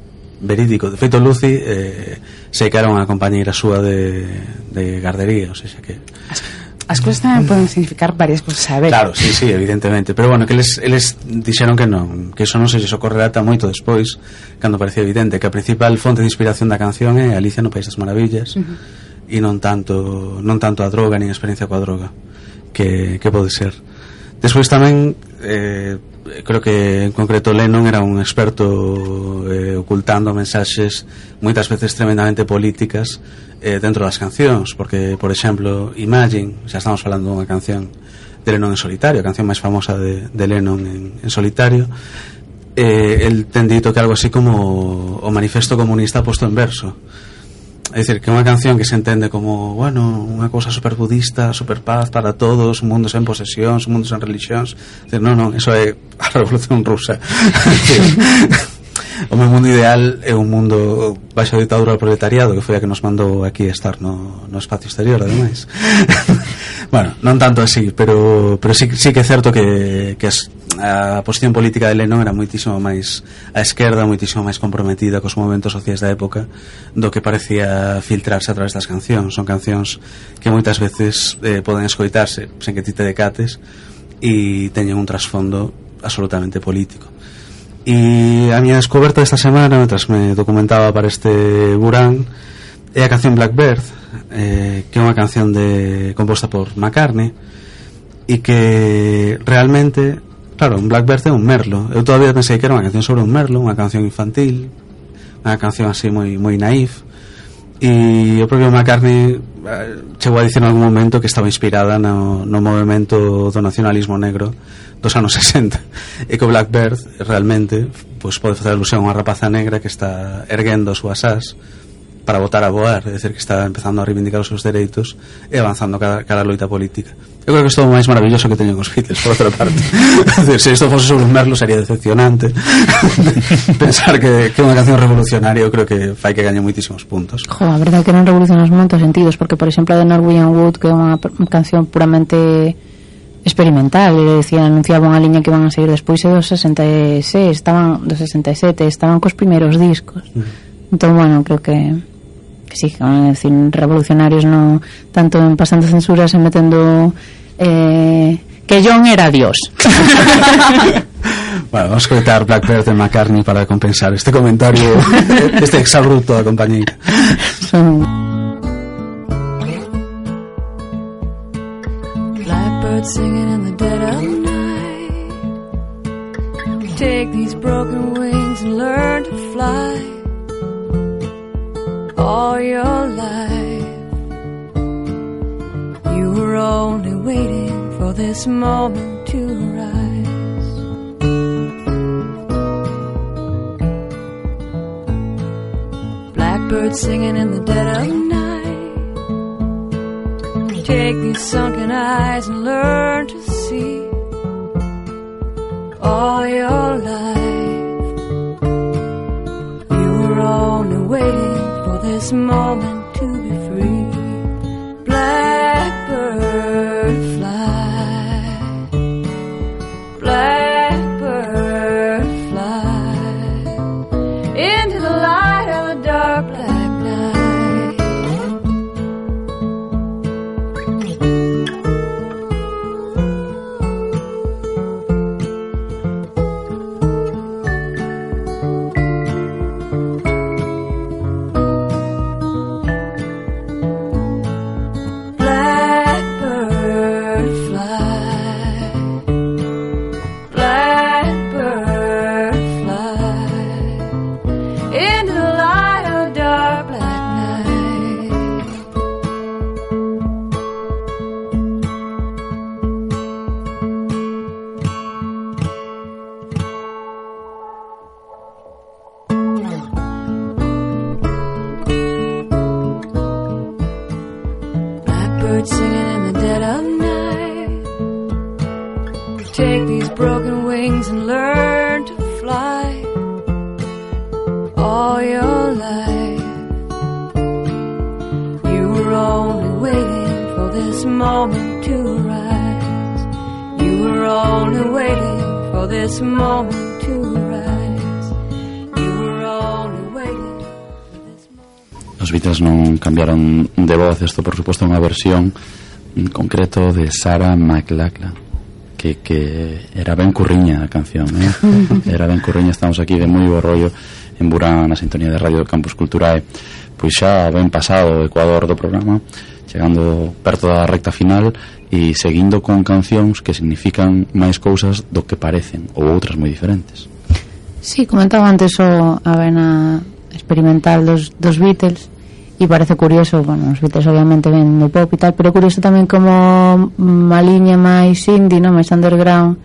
verídico. De feito, Lucy eh, sei que era unha compañeira súa de, de gardería, o sea, que as, as cousas tamén poden significar varias cousas a ver. Claro, sí, sí, evidentemente, pero bueno, que eles, eles dixeron que non, que iso non se lles ocorrerá ata moito despois, cando parecía evidente que a principal fonte de inspiración da canción é Alicia no País das Maravillas uh -huh. e non tanto non tanto a droga nin a experiencia coa droga que, que pode ser. Despois tamén eh, creo que en concreto Lennon era un experto eh, ocultando mensaxes moitas veces tremendamente políticas eh, dentro das cancións, porque por exemplo Imagine, xa estamos falando dunha canción de Lennon en solitario, a canción máis famosa de, de Lennon en, en solitario, eh, el ten dito que algo así como o manifesto comunista posto en verso. É dicir, que é unha canción que se entende como, bueno, unha cousa super budista, super paz para todos, un mundo sen posesións, un mundo sen religións. É dicir, non, non, eso é a revolución rusa. O meu mundo ideal é un mundo baixo a ditadura do proletariado, que foi a que nos mandou aquí estar no, no espacio exterior, ademais. Bueno, non tanto así, pero, pero sí, sí que é certo que, que as, a posición política de Lennon era moitísimo máis a esquerda, moitísimo máis comprometida cos movementos sociais da época do que parecía filtrarse a través das cancións. Son cancións que moitas veces eh, poden escoitarse sen que ti te decates e teñen un trasfondo absolutamente político. E a miña descoberta esta semana, mentras me documentaba para este Burán, é a canción Blackbird, eh, que é unha canción de composta por McCartney e que realmente, claro, un Blackbird é un merlo. Eu todavía pensei que era unha canción sobre un merlo, unha canción infantil, unha canción así moi moi naif, e o propio McCartney eh, chegou a dicir en algún momento que estaba inspirada no, no movimento do nacionalismo negro dos anos sesenta, e que o Blackbird realmente pues, pode facer alusión a unha rapaza negra que está erguendo as súas as para botar a voar, é dicir, que está empezando a reivindicar os seus dereitos e avanzando cara, cara a loita política. Eu creo que isto é o máis maravilloso que teñen os Beatles, por outra parte. É dicir, se isto fose sobre un Merlo sería decepcionante. Pensar que, que unha canción revolucionaria eu creo que fai que gañe moitísimos puntos. Jo, a verdade que non revoluciona en moitos sentidos, porque, por exemplo, a de Norwegian Wood, que é unha canción puramente experimental, e decía, anunciaba unha liña que iban a seguir despois dos sesenta e seis, estaban dos sesenta e sete, estaban cos primeiros discos. Mm. Entón, bueno, creo que que sí, que van a decir revolucionarios no tanto en pasando censuras e metendo eh, que John era Dios. Bueno, vamos a escoitar Blackbird de McCartney para compensar este comentario, este exabrupto da compañeira. Son Blackbird singing in the dead of night. Take these broken wings and learn to fly. All your life you were only waiting for this moment to arise. Blackbird singing in the dead of night. Take these sunken eyes and learn to see. All your life you were only waiting this moment to be free. Blackbird fly, blackbird fly into the light of the dark black night. Os Beatles non cambiaron de voz. Isto, por suposto, é unha versión en concreto de Sarah McLachlan, que, que era ben curriña a canción, eh? Era ben curriña. Estamos aquí de moi bo rollo en Burán, na sintonía de Radio Campus Culturae. Pois xa ben pasado o ecuador do programa, chegando perto da recta final e seguindo con cancións que significan máis cousas do que parecen, ou outras moi diferentes. Sí, comentaba antes o a vena experimental dos, dos Beatles, e parece curioso, bueno, os Beatles obviamente ven no pop e tal, pero curioso tamén como unha liña máis indie, non, máis underground,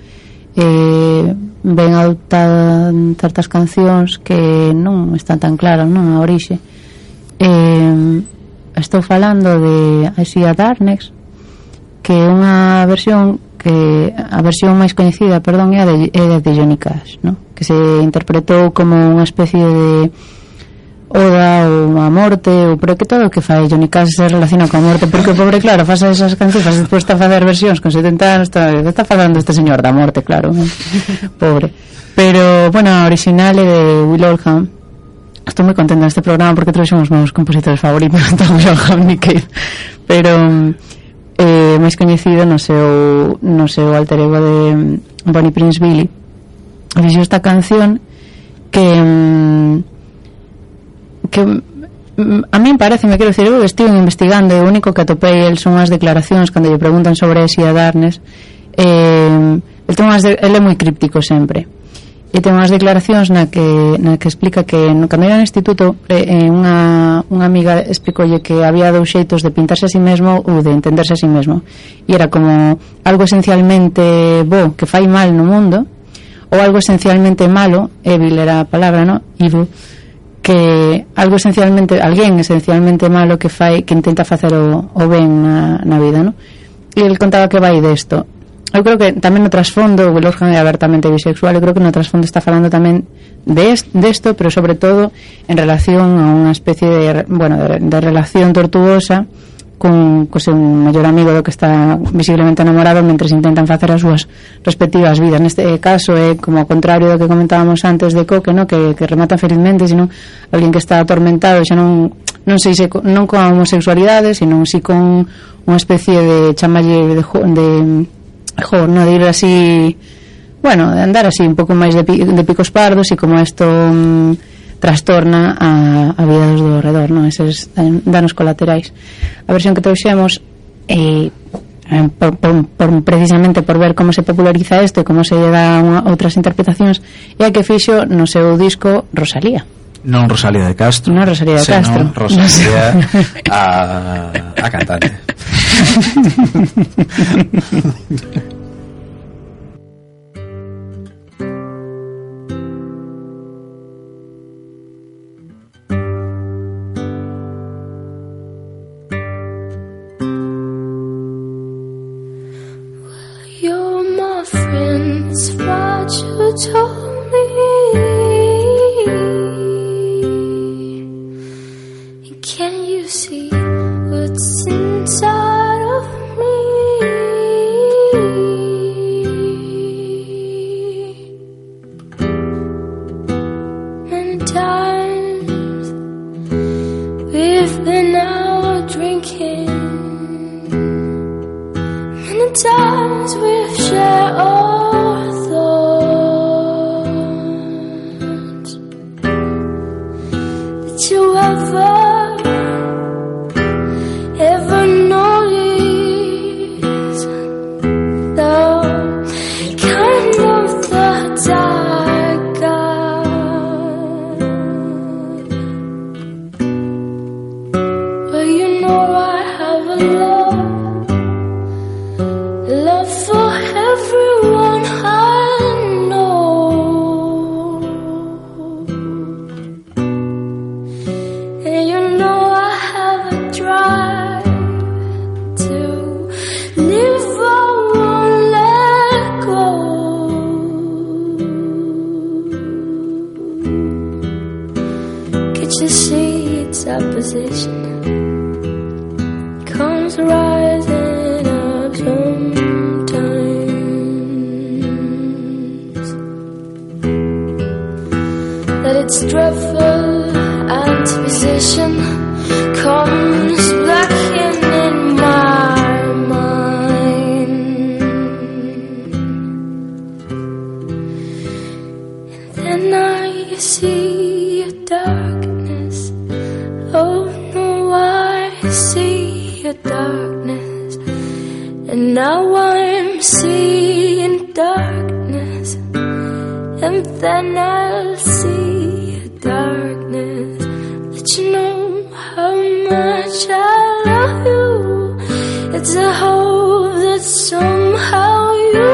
eh, ven adoptado certas cancións que non están tan claras, non, a orixe. Eh, estou falando de I See a Darkness, que é unha versión que a versión máis coñecida, perdón, é a de, é a de Johnny Cash, non? Que se interpretou como unha especie de oda ou a morte, ou pero que todo o que fai Johnny Cash se relaciona coa morte, porque o pobre, claro, faz esas cancións, despois está a facer versións con setenta anos, está, está falando este señor da morte, claro, ¿no? Pobre. Pero, bueno, a original é de Will Oldham. Estou moi contenta neste programa porque trouxen os meus compositores favoritos, tanto Will Oldham e Cave, pero eh, máis coñecido no seu no seu alter ego de Bonnie Prince Billy. Dixo esta canción que que a min parece, me quero dicir, eu estive investigando e o único que atopei el son as declaracións cando lle preguntan sobre Si a Darkness. eh, el, ten unhas de, el é moi críptico sempre e ten unhas declaracións na que, na que explica que no, cando era no instituto eh, unha, unha amiga explicolle que había dous xeitos de pintarse a si mesmo ou de entenderse a si mesmo, e era como algo esencialmente bo que fai mal no mundo ou algo esencialmente malo, evil era a palabra, no? Evil, que algo esencialmente, alguén esencialmente malo que fai, que intenta facer o, o ben na, na vida, ¿no? E ele contaba que vai desto. Eu creo que tamén no trasfondo, o Lorcan é abertamente bisexual, eu creo que no trasfondo está falando tamén de desto, pero sobre todo en relación a unha especie de, bueno, de, de relación tortuosa con co seu mellor amigo do que está visiblemente enamorado mentres intentan facer as súas respectivas vidas. Neste caso é como ao contrario do que comentábamos antes de Coque, no? que, que remata felizmente, sino alguén que está atormentado, xa non non sei se non con a homosexualidade, sino si con unha especie de chamalle de, de, jo, no, de ir así, bueno, de andar así un pouco máis de, de picos pardos, e como isto mm, trastorna a, a vida dos do redor, non? Eses danos colaterais. A versión que trouxemos eh, por, por, por, precisamente por ver como se populariza isto e como se lle dá unha, outras interpretacións, é a que fixo no seu disco Rosalía. Non Rosalía de Castro, non Rosalía de Castro, Rosalía a, a cantante. What you told me, can you see what's inside of me? Many times we've been out drinking, many times we've shared all you ever, ever notice the kind of thoughts I got? Well, you know I have a love, love for everyone I know. To see its opposition comes rising up sometimes, that its dreadful antiposition comes back in, in my mind, and then I see a dark. Oh no, I see your darkness, and now I'm seeing darkness, and then I'll see your darkness. Let you know how much I love you. It's a hope that somehow you,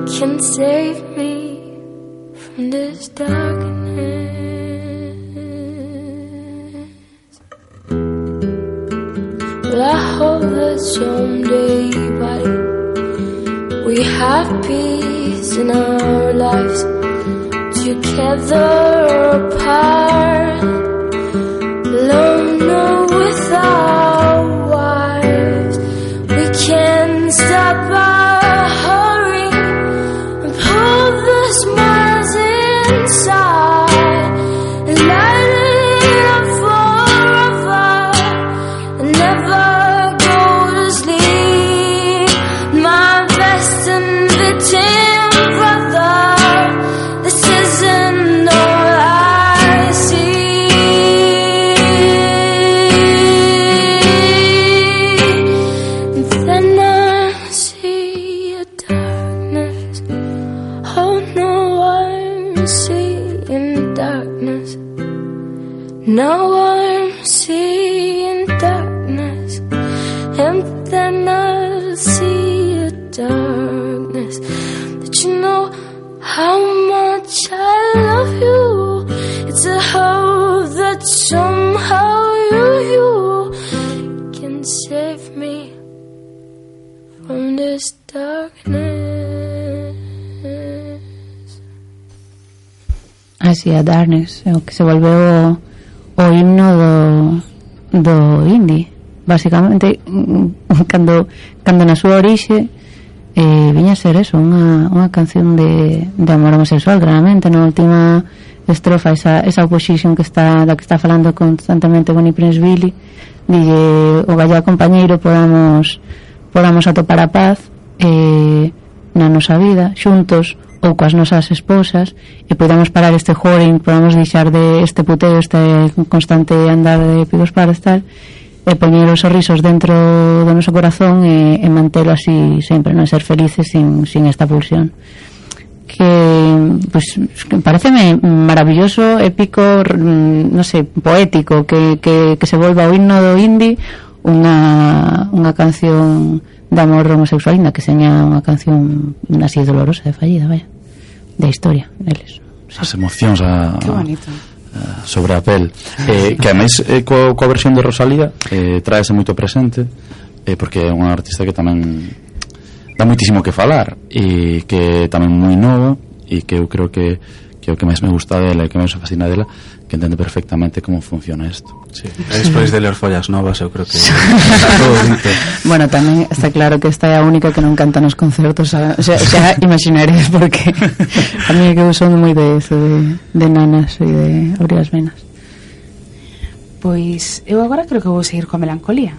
you can save me from this darkness. Well, I hope that someday, buddy, we have peace in our lives, together apart, alone or with our wives. We can stop our hurry and pull the smiles inside and light it up forever and never now I'm seeing darkness, and then I'll see a darkness, that you know how much I love you. It's a Así a Darkness, o que se volveu o, o himno do, do indie. Basicamente, cando, cando na súa orixe eh, viña a ser eso, unha, unha canción de, de amor homosexual, claramente. Na última estrofa, esa, esa opposition que está, da que está falando constantemente Bonnie Prince Billy, dille o vaya compañeiro podamos podamos atopar a paz eh, na nosa vida xuntos ou coas nosas esposas, e podamos parar este whoring, podamos deixar de este puteo, este constante andar de pigos para estar, e poñer os sorrisos dentro do noso corazón e, e mantelo así sempre, non ser felices sin, sin esta pulsión. Que, pues, que pareceme maravilloso, épico, non sei, poético, que, que, que se volva o himno do indie unha, unha canción de amor homosexual, ainda que seña unha canción así dolorosa, de fallida, vaya, de historia deles. As emocións a, que bonito. A, sobre a pel, eh, que ademais eh, coa, coa versión de Rosalía eh, traese moito presente, eh, porque é unha artista que tamén dá moitísimo que falar e que tamén moi nova, e que eu creo que, que o que máis me gusta dela e que máis me fascina dela, que entende perfectamente como funciona isto. Sí. Despois de ler Follas Novas, eu creo que bueno, tamén está claro que esta é a única que non canta nos concertos, o sea, xa imaginaréis, porque a mí é que eu son moi de eso, de, de nanas e de abrir as venas. Pois eu agora creo que vou seguir coa melancolía.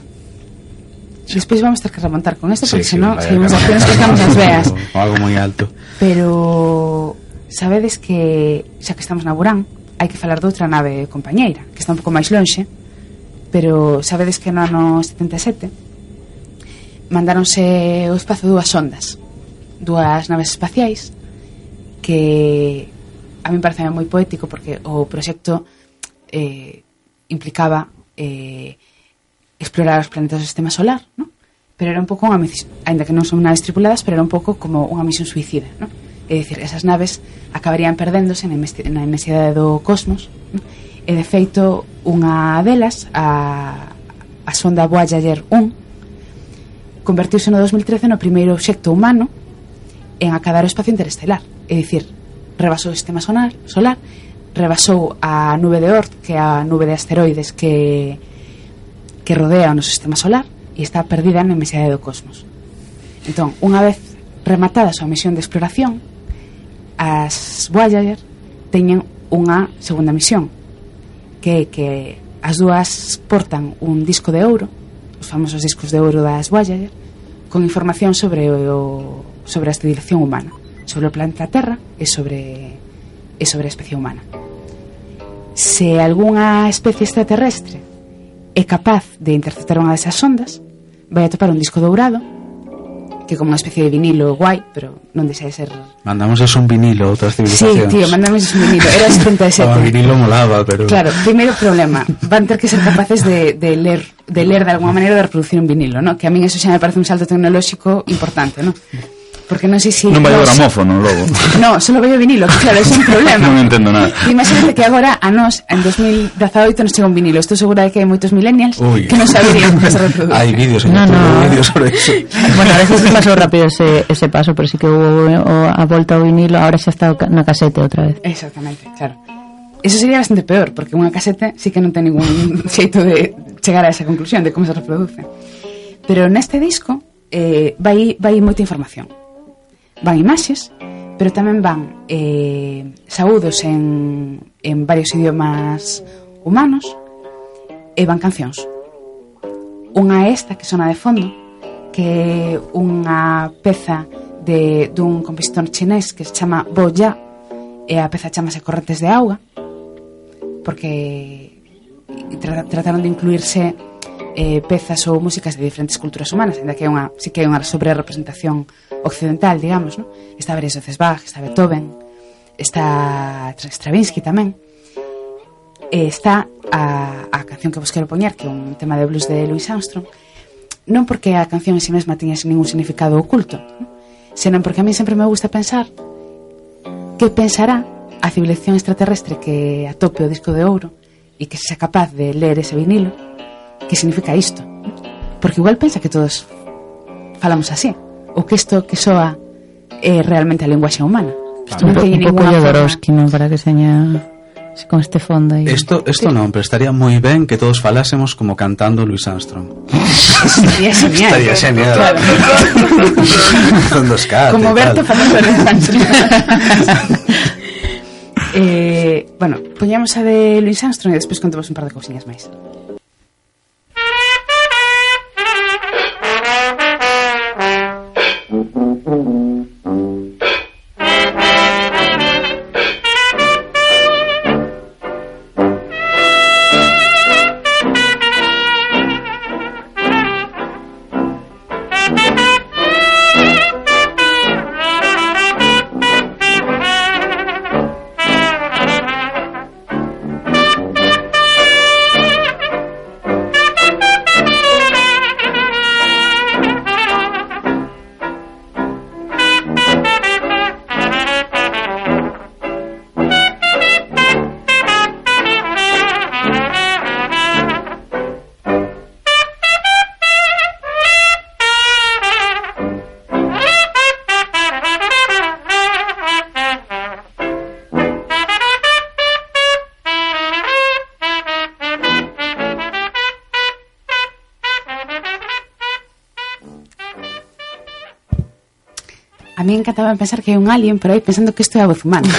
Despois vamos ter que remontar con isto, porque sí, senón sí, seguimos aquí, nos quedamos as veas. O algo moi alto. Pero sabedes que xa que estamos na Burán, hai que falar de outra nave compañeira, que está un pouco máis lonxe, pero sabedes que no ano setenta e sete mandáronse ao espazo dúas sondas, dúas naves espaciais, que a mí parece moi poético, porque o proxecto eh, implicaba eh, explorar os planetas do sistema solar, ¿no? Pero era un pouco unha misión, ainda que non son naves tripuladas, pero era un pouco como unha misión suicida, ¿no? É dicir, esas naves acabarían perdéndose na inmensidade do cosmos, ¿no? E de feito unha delas, a, a sonda Voyager un, convertiuse no dos mil trece no primeiro obxecto humano en acadar o espacio interestelar, é dicir, rebasou o sistema solar, solar rebasou a nube de Oort, que é a nube de asteroides que que rodea o noso sistema solar, e está perdida na inmensidade do cosmos. Entón, unha vez rematada a súa misión de exploración, as Voyager teñen unha segunda misión, que é que as dúas portan un disco de ouro, os famosos discos de ouro das Voyager, con información sobre o sobre a civilización humana, sobre o planeta Terra e sobre e sobre a especie humana. Se algunha especie extraterrestre é capaz de interceptar unha desas sondas, vai a topar un disco dourado, que como unha especie de vinilo guai, pero non deixa de ser... Mandamos eso un vinilo a outras civilizacións. Sí, tío, mandamos eso un vinilo. Era setenta e sete. O vinilo molaba, pero... Claro, primeiro problema, van ter que ser capaces de, de ler de ler de alguma maneira de reproducir un vinilo, ¿no? Que a min eso xa me parece un salto tecnolóxico importante, ¿no? Porque non sei se... Non vai o gramófono, logo. No, solo vai o vinilo, que claro, é un problema. Non entendo nada. Imagínate que agora a nós, en dos mil dezaoito, nos chega un vinilo. Estou segura de que hai moitos millennials Uy. que non saberían como se reproduce. Hai vídeos en No, YouTube, no. vídeos sobre eso. Bueno, a veces pasou rápido ese, ese paso, pero sí que hubo o, a volta ao vinilo, ahora xa está na casete outra vez. Exactamente, claro. Eso sería bastante peor, porque unha casete sí que non ten ningún xeito de chegar a esa conclusión de como se reproduce. Pero neste disco eh, vai, vai moita información. Van imaxes, pero tamén van eh, saúdos en, en varios idiomas humanos, e van cancións. Unha é esta que sona de fondo, que é unha peza de, dun compositor chinés que se chama Bo Ya, e a peza chamase Correntes de Auga, porque tra trataron de incluirse eh, pezas ou músicas de diferentes culturas humanas, ainda que é unha, sí que é unha sobre representación occidental, digamos, ¿no? Está varias veces Bach, está Beethoven, está Stravinsky tamén, e está a, a canción que vos quero poñer, que é un tema de blues de Louis Armstrong, non porque a canción en si mesma tiña ningún significado oculto, ¿no? Senón porque a mí sempre me gusta pensar que pensará a civilización extraterrestre que atope o disco de ouro e que sexa capaz de ler ese vinilo, que significa isto, ¿no? Porque igual pensa que todos falamos así, o que isto que soa é realmente a linguaxe humana. Isto un, po, un pouco Jodorowsky, non? Para que seña con este fondo aí. Isto, isto non, pero estaría moi ben que todos falásemos como cantando Louis Armstrong. Estaría genial. Estaría genial. Claro. Como verte falando Louis Armstrong. eh, bueno, poñamos a de Louis Armstrong e despois contamos un par de cousiñas máis. A mí encantaba pensar que hai un alien por aí pensando que isto é a voz humana.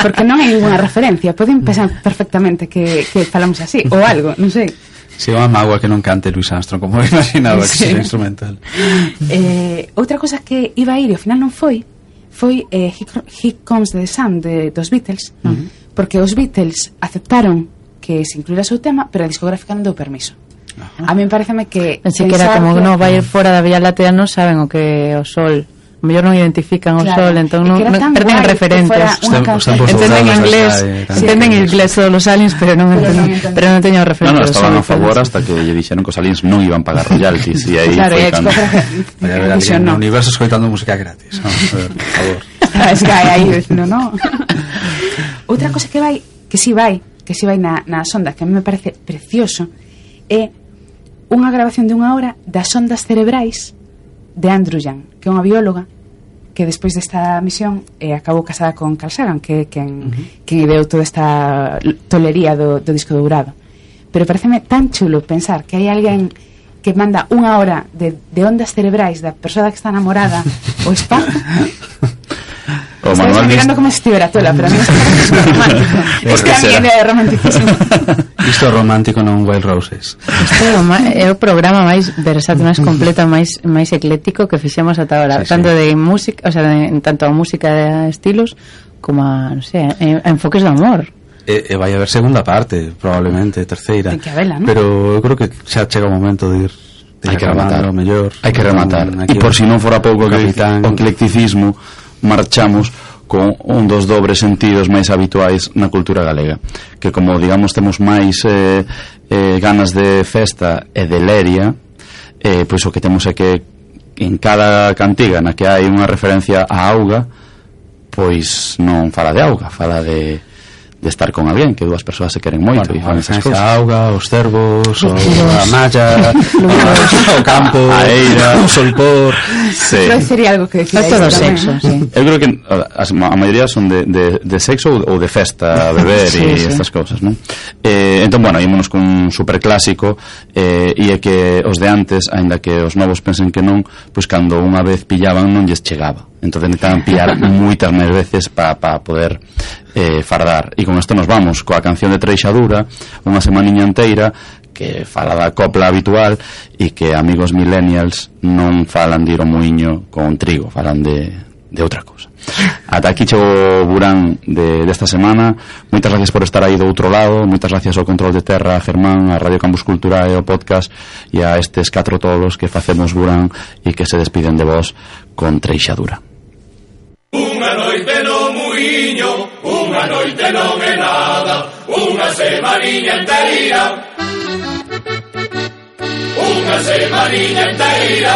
Porque non hai ninguna referencia. Poden pensar perfectamente que, que falamos así, ou algo, non sei. Se é unha mágoa que non cante Louis Armstrong, como imaginaba que sí. Sería instrumental. Eh, outra cosa que iba a ir e ao final non foi, foi eh, Here Comes the Sun de, dos Beatles, non? Uh-huh. Porque os Beatles aceptaron que se incluíra o seu tema, pero a discográfica non deu permiso. Uh-huh. A mí me pareceme que... Pensei que era como que non vai ir fora da Vía Láctea, non saben o que o Sol... O mellor non identifican o claro. Sol, entón non, non perden referentes. Entenden inglés, sí, entenden inglés todos os aliens, pero non entenden, pero non teño referentes. Non, no, estaban a favor hasta que lle dixeron que os aliens non iban pagar royalties e aí claro, foi cando... Vai haber alguén no universo escoitando música gratis, non? Por favor. Estaba Sky aí dicindo, non? Outra cosa que vai, que si vai, que si vai na, na sonda, que a mí me parece precioso, é unha grabación de unha hora das ondas cerebrais de Andrew Young, que é unha bióloga que despois desta misión eh, acabou casada con Carl Sagan, que quen, uh-huh. quen ideou toda esta tolería do, do disco dourado. Pero pareceme tan chulo pensar que hai alguén que manda unha hora de, de ondas cerebrais da persoa que está namorada o espazo. O Estás mirando como se estivera tola, pero a mí me está romántico. Es que a mí é romanticismo. Isto é romántico, non Wild Roses. Isto é o, ma- é o programa máis versátil, máis completo, máis máis ecléctico que fixemos ata agora, sí, tanto sí. de música, o sea, de, tanto a música de estilos como a, non sei, a, a enfoques do amor. E, e vai haber segunda parte, probablemente terceira. Ten que habela, ¿no? Pero eu creo que xa chega o momento de ir. Hai que rematar, o mellor. Hai que rematar. E por si non fora pouco que o eclecticismo, marchamos con un dos dobres sentidos máis habituais na cultura galega, que como digamos temos máis eh, eh, ganas de festa e de leria, eh, pois o que temos é que en cada cantiga na que hai unha referencia á auga, pois non fala de auga, fala de de estar con alguén, que dúas persoas se queren moito, bueno, e fan esas cousas. A auga, os cervos, o, a malla, o campo, a eira, o solpor. Sí. Creo que sería algo que decir. Todo sexo, sí. Eu creo que a, a maioría son de, de, de sexo ou de festa, beber sí, e sí. estas cousas, non? Eh, entón, bueno, ímonos con un superclásico eh, e é que os de antes, aínda que os novos pensen que non, pois cando unha vez pillaban non lles chegaba. Entón necesitaban pillar moitas máis veces para pa poder eh, fardar. E con isto nos vamos coa canción de Treixadura, unha semaniña inteira que fala da copla habitual e que amigos millennials non falan de ir ao muiño con trigo, falan de, de outra cousa. Ata aquí chego o Burán de, desta semana. Moitas gracias por estar aí do outro lado. Moitas gracias ao Control de Terra, a Germán, a Radio Campus Cultura e ao podcast, e a estes catro tolos que facemos Burán e que se despiden de vos con Treixadura. Unha noite no muiño, unha noite non é nada, unha semaniña inteira, unha semaniña inteira.